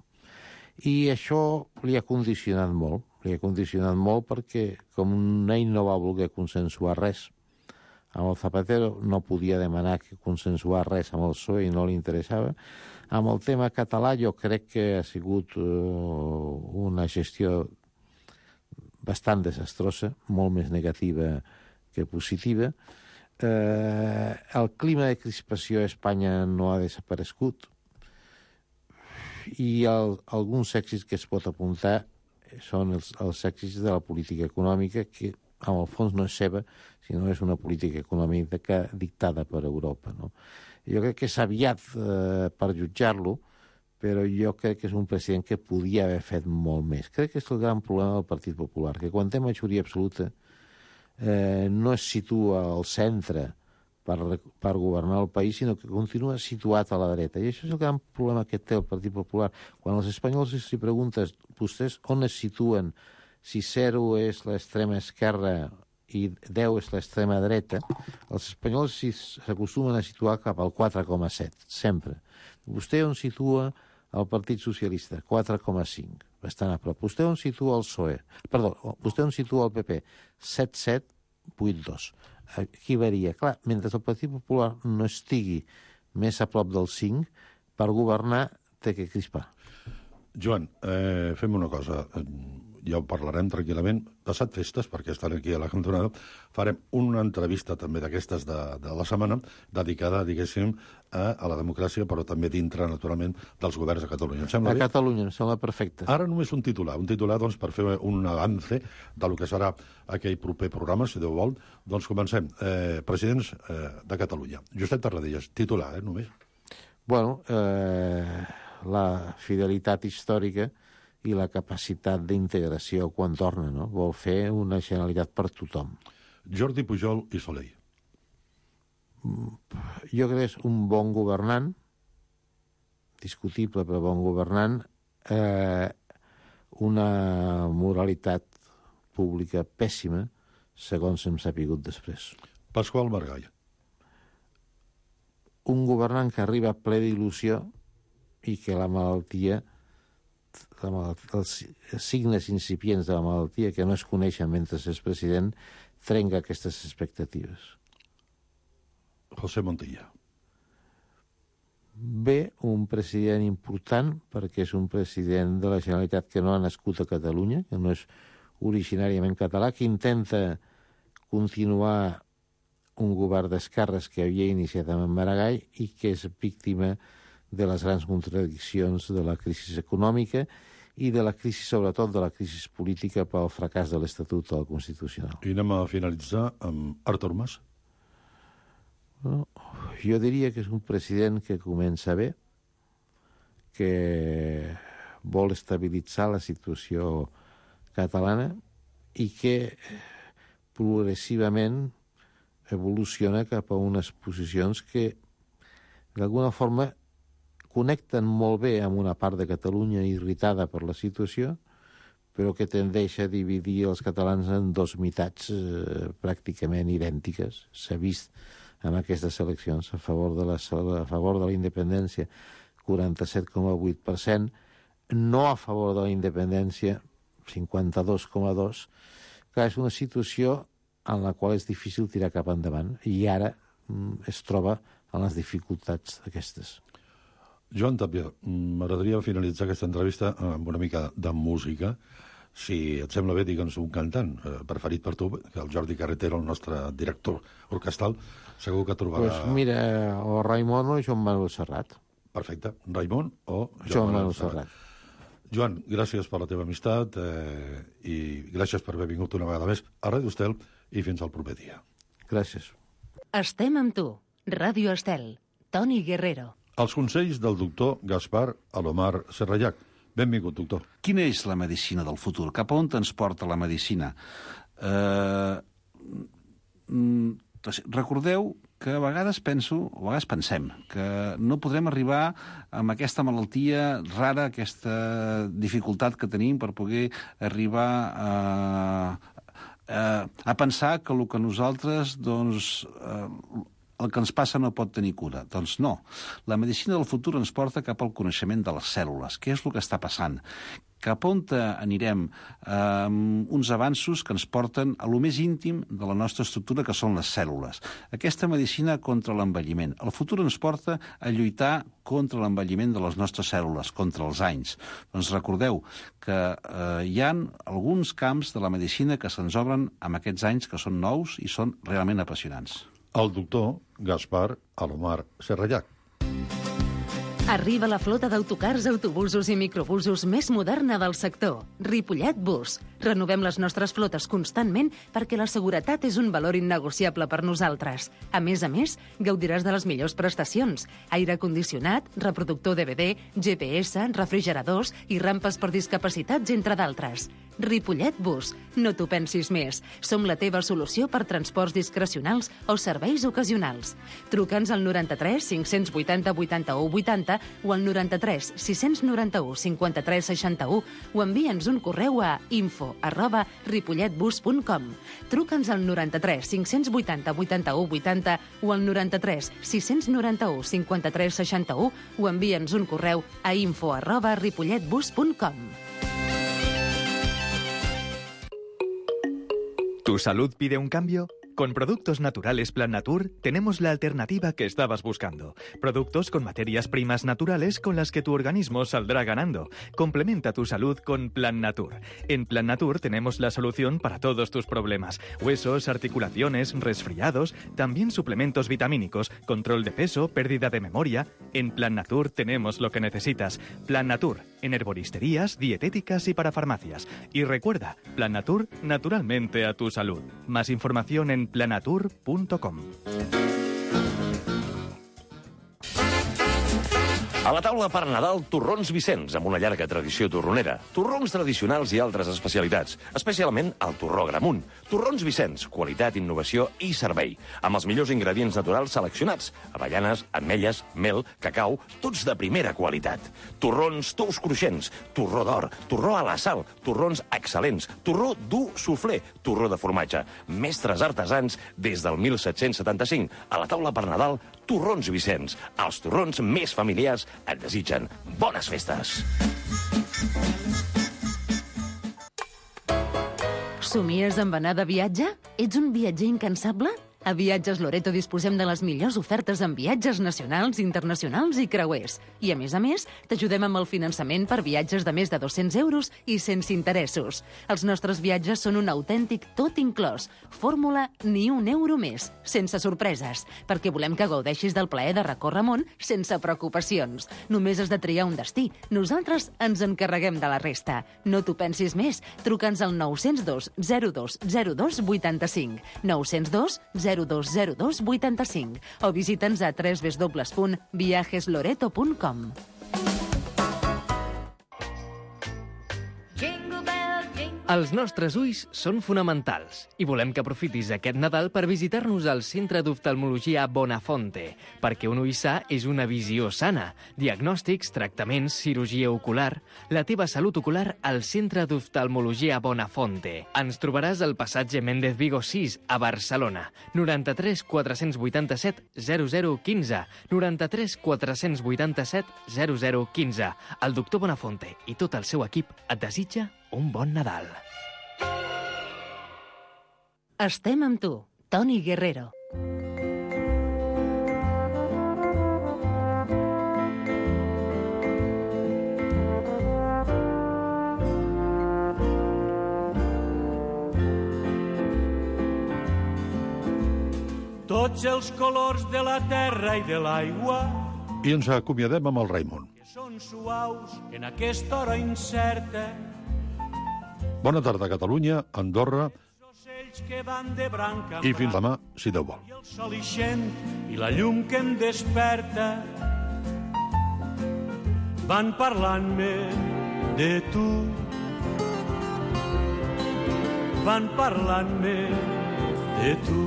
I això li ha condicionat molt, li ha condicionat molt perquè com ell no va voler consensuar res amb el Zapatero, no podia demanar que consensuar res amb el P S O E i no li interessava. Amb el tema català jo crec que ha sigut uh, una gestió bastant desastrosa, molt més negativa que positiva. Eh, el clima de crispació a Espanya no ha desaparegut i el, alguns èxits que es pot apuntar són els, els èxits de la política econòmica, que en el fons no és seva, sinó és una política econòmica dictada per Europa, no? Jo crec que és aviat eh, per jutjar-lo, però jo crec que és un president que podia haver fet molt més. Crec que és el gran problema del Partit Popular, que quan té majoria absoluta Eh, no es situa al centre per, per governar el país, sinó que continua situat a la dreta. I això és el gran problema que té el Partit Popular. Quan els espanyols si preguntes vostès on es situen, si zero és l'extrema esquerra i deu és l'extrema dreta, els espanyols s'acostumen a situar cap al quatre coma set, sempre. Vostè on situa el Partit Socialista? quatre coma cinc. Bastant a prop. Vostè on situa el P S O E? Perdó, vostè on situa el P P? set coma set, vuit coma dos. Aquí varia. Clar, mentre el Partit Popular no estigui més a prop del cinc, per governar té que crispar. Joan, eh, fem una cosa. Ja ho parlarem tranquil·lament. Passat festes, perquè estan aquí a la cantonada, farem una entrevista també d'aquestes de, de la setmana, dedicada, diguéssim, a, a la democràcia, però també dintre, naturalment, dels governs de Catalunya. Em sembla a bé? Catalunya, em sembla perfecte. Ara només un titular, un titular doncs, per fer un avance del que serà aquell proper programa, si Déu vol. Doncs comencem. Eh, presidents eh, de Catalunya. Josep Tarradellas, titular, eh, només. Bueno, eh... la fidelitat històrica i la capacitat d'integració quan torna, no? Vol fer una Generalitat per tothom. Jordi Pujol i Soleil. Jo crec que és un bon governant, discutible però bon governant, eh, una moralitat pública pèssima, segons hem sapigut després. Pasqual Maragall. Un governant que arriba ple d'il·lusió i que la malaltia, la malaltia, els signes incipients de la malaltia que no es coneixen mentre és president, trenca aquestes expectatives. José Montilla. Bé, un president important, perquè és un president de la Generalitat que no ha nascut a Catalunya, que no és originàriament català, que intenta continuar un govern d'esquerres que havia iniciat amb Maragall i que és víctima de les grans contradiccions de la crisi econòmica i de la crisi, sobretot, de la crisi política pel fracàs de l'Estatut del Constitucional. I anem a finalitzar amb Artur Mas. No, jo diria que és un president que comença bé, que vol estabilitzar la situació catalana i que progressivament evoluciona cap a unes posicions que d'alguna forma connecten molt bé amb una part de Catalunya irritada per la situació, però que tendeix a dividir els catalans en dos meitats eh, pràcticament idèntiques. S'ha vist en aquestes eleccions a favor de la, a favor de la independència quaranta-set coma vuit per cent, no a favor de la independència cinquanta-dos coma dos per cent, que és una situació en la qual és difícil tirar cap endavant i ara mm, es troba en les dificultats aquestes. Joan Tàpia, m'agradaria finalitzar aquesta entrevista amb una mica de música. Si et sembla bé, digue'ns un cantant eh, preferit per tu, que el Jordi Carretero, el nostre director orquestral, segur que trobarà... Pues mira, o Raimon o Joan Manuel Serrat. Perfecte, Raimon o Joan, Joan Manuel Serrat. Joan, gràcies per la teva amistat eh, i gràcies per haver vingut una vegada més a Ràdio Estel i fins al proper dia. Gràcies. Estem amb tu. Ràdio Estel. Toni Guerrero. Els consells del doctor Gaspar Alomar Serrallac. Benvingut, doctor. Quina és la medicina del futur? Cap a on ens porta la medicina? Eh, recordeu que a vegades penso, o a vegades pensem, que no podrem arribar amb aquesta malaltia rara, aquesta dificultat que tenim per poder arribar a, a, a pensar que el que nosaltres, doncs, el que ens passa no pot tenir cura. Doncs no. La medicina del futur ens porta cap al coneixement de les cèl·lules. Què és el que està passant? Cap on anirem amb uns avanços que ens porten a lo més íntim de la nostra estructura, que són les cèl·lules. Aquesta medicina contra l'envelliment. El futur ens porta a lluitar contra l'envelliment de les nostres cèl·lules, contra els anys. Doncs recordeu que eh, hi ha alguns camps de la medicina que se'ns obren amb aquests anys que són nous i són realment apassionants. El doctor Gaspar Alomar Serrallac. Arriba la flota d'autocars, autobusos i microbusos més moderna del sector. Ripollet Bus. Renovem les nostres flotes constantment perquè la seguretat és un valor innegociable per nosaltres. A més a més, gaudiràs de les millors prestacions. Aire condicionat, reproductor D V D, G P S, refrigeradors i rampes per discapacitats, entre d'altres. Ripollet Bus. No t'ho pensis més. Som la teva solució per transports discrecionals o serveis ocasionals. Truca'ns al noranta-tres cinc-cents vuitanta vuitanta-u vuitanta o al noranta-tres sis-cents noranta-u cinquanta-tres seixanta-u o envia'ns un correu a info arroba ripolletbus punt com. Truca'ns al noranta-tres cinc-cents vuitanta vuitanta-u vuitanta o al noranta-tres sis-cents noranta-u cinquanta-tres seixanta-u o envia'ns un correu a info arroba ripolletbus punt com. ¿Tu salud pide un cambio? Con Productos Naturales Plan Natur tenemos la alternativa que estabas buscando. Productos con materias primas naturales con las que tu organismo saldrá ganando. Complementa tu salud con Plan Natur. En Plan Natur tenemos la solución para todos tus problemas. Huesos, articulaciones, resfriados, también suplementos vitamínicos, control de peso, pérdida de memoria. En Plan Natur tenemos lo que necesitas. Plan Natur, en herboristerías, dietéticas y para farmacias. Y recuerda, Plan Natur, naturalmente a tu salud. Más información en planatur punto com. A la taula per Nadal, Torrons Vicenç, amb una llarga tradició torronera. Torrons tradicionals i altres especialitats, especialment el torró Gramunt. Torrons Vicenç, qualitat, innovació i servei. Amb els millors ingredients naturals seleccionats. Avellanes, ametlles, mel, cacau, tots de primera qualitat. Torrons tous cruixents, torró d'or, torró a la sal, torrons excel·lents, torró dur suflé, torró de formatge. Mestres artesans des del mil set-cents setanta-cinc. A la taula per Nadal, Torrons Vicenç. Els torrons més familiars et desitgen bones festes. Somies amb anar de viatge? Ets un viatger incansable? A Viatges Loreto disposem de les millors ofertes en viatges nacionals, internacionals i creuers. I, a més a més, t'ajudem amb el finançament per viatges de més de dos-cents euros i sense interessos. Els nostres viatges són un autèntic tot inclòs. Fórmula ni un euro més, sense sorpreses, perquè volem que gaudeixis del plaer de recórrer món sense preocupacions. Només has de triar un destí. Nosaltres ens encarreguem de la resta. No t'ho pensis més. Truca'ns al nou zero dos zero dos zero dos vuitanta-cinc. nou zero dos zero dos zero dos vuitanta-cinc o visita'ns a w w w punt viajes loreto punt com. Els nostres ulls són fonamentals i volem que aprofitis aquest Nadal per visitar-nos al Centre d'Oftalmologia Bonafonte, perquè un ull sa és una visió sana. Diagnòstics, tractaments, cirurgia ocular... La teva salut ocular al Centre d'Oftalmologia Bonafonte. Ens trobaràs al passatge Méndez Vigo sis, a Barcelona. noranta-tres quatre-cents vuitanta-set zero zero quinze. noranta-tres quatre-cents vuitanta-set zero zero quinze. El doctor Bonafonte i tot el seu equip et desitja un bon Nadal. Estem amb tu, Toni Guerrero. Tots els colors de la terra i de l'aigua I ens acomiadem amb el Raimon. són suaus en aquesta hora incerta. Bona tarda, Catalunya, Andorra Que van de branca i fins demà, si Déu vol. el sol ixent i la llum que em desperta van parlant-me de tu, van parlant-me de tu.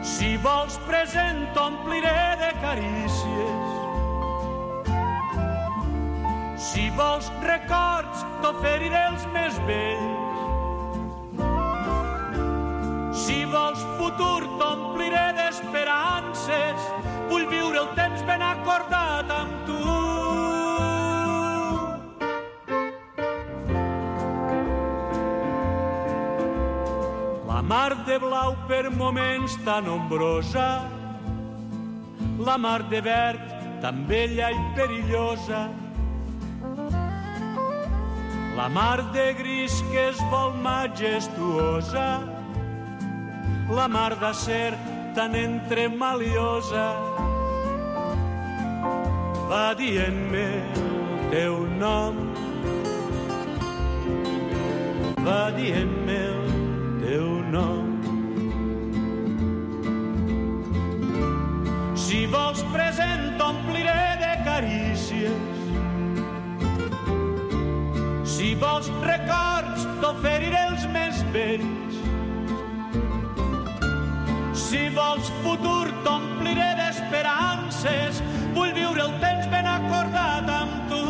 Si vols present t'ompliré de carícies, si vols records t'oferiré els més vells, si vols futur t'ompliré d'esperances, vull viure el temps ben acordat amb tu. La mar de blau per moments tan ombrosa, la mar de verd tan bella i perillosa, la mar de gris que es vol majestuosa, la mar d'acer tan entremaliosa, va dient-me el teu nom, va dient-me el teu nom. Si vols present t'ompliré de carícies, si vols records t'oferiré els més vells, si vols futur t'ompliré d'esperances, vull viure el temps ben acordat amb tu.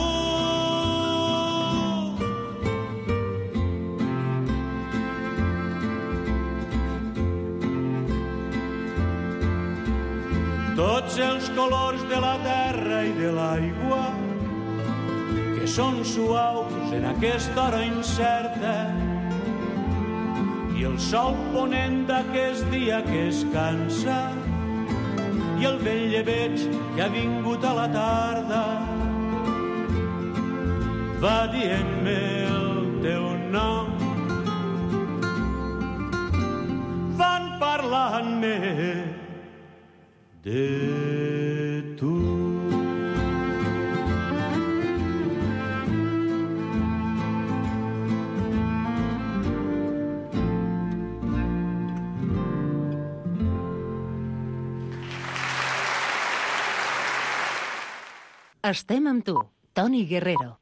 Tots els colors de la terra i de l'aigua que són suaus en aquesta hora incerta, i el sol ponent d'aquest dia que es cansa, i el vell llebeig que ha vingut a la tarda, va dient-me el teu nom, van parlant-me de tu. Estem amb tu, Toni Guerrero.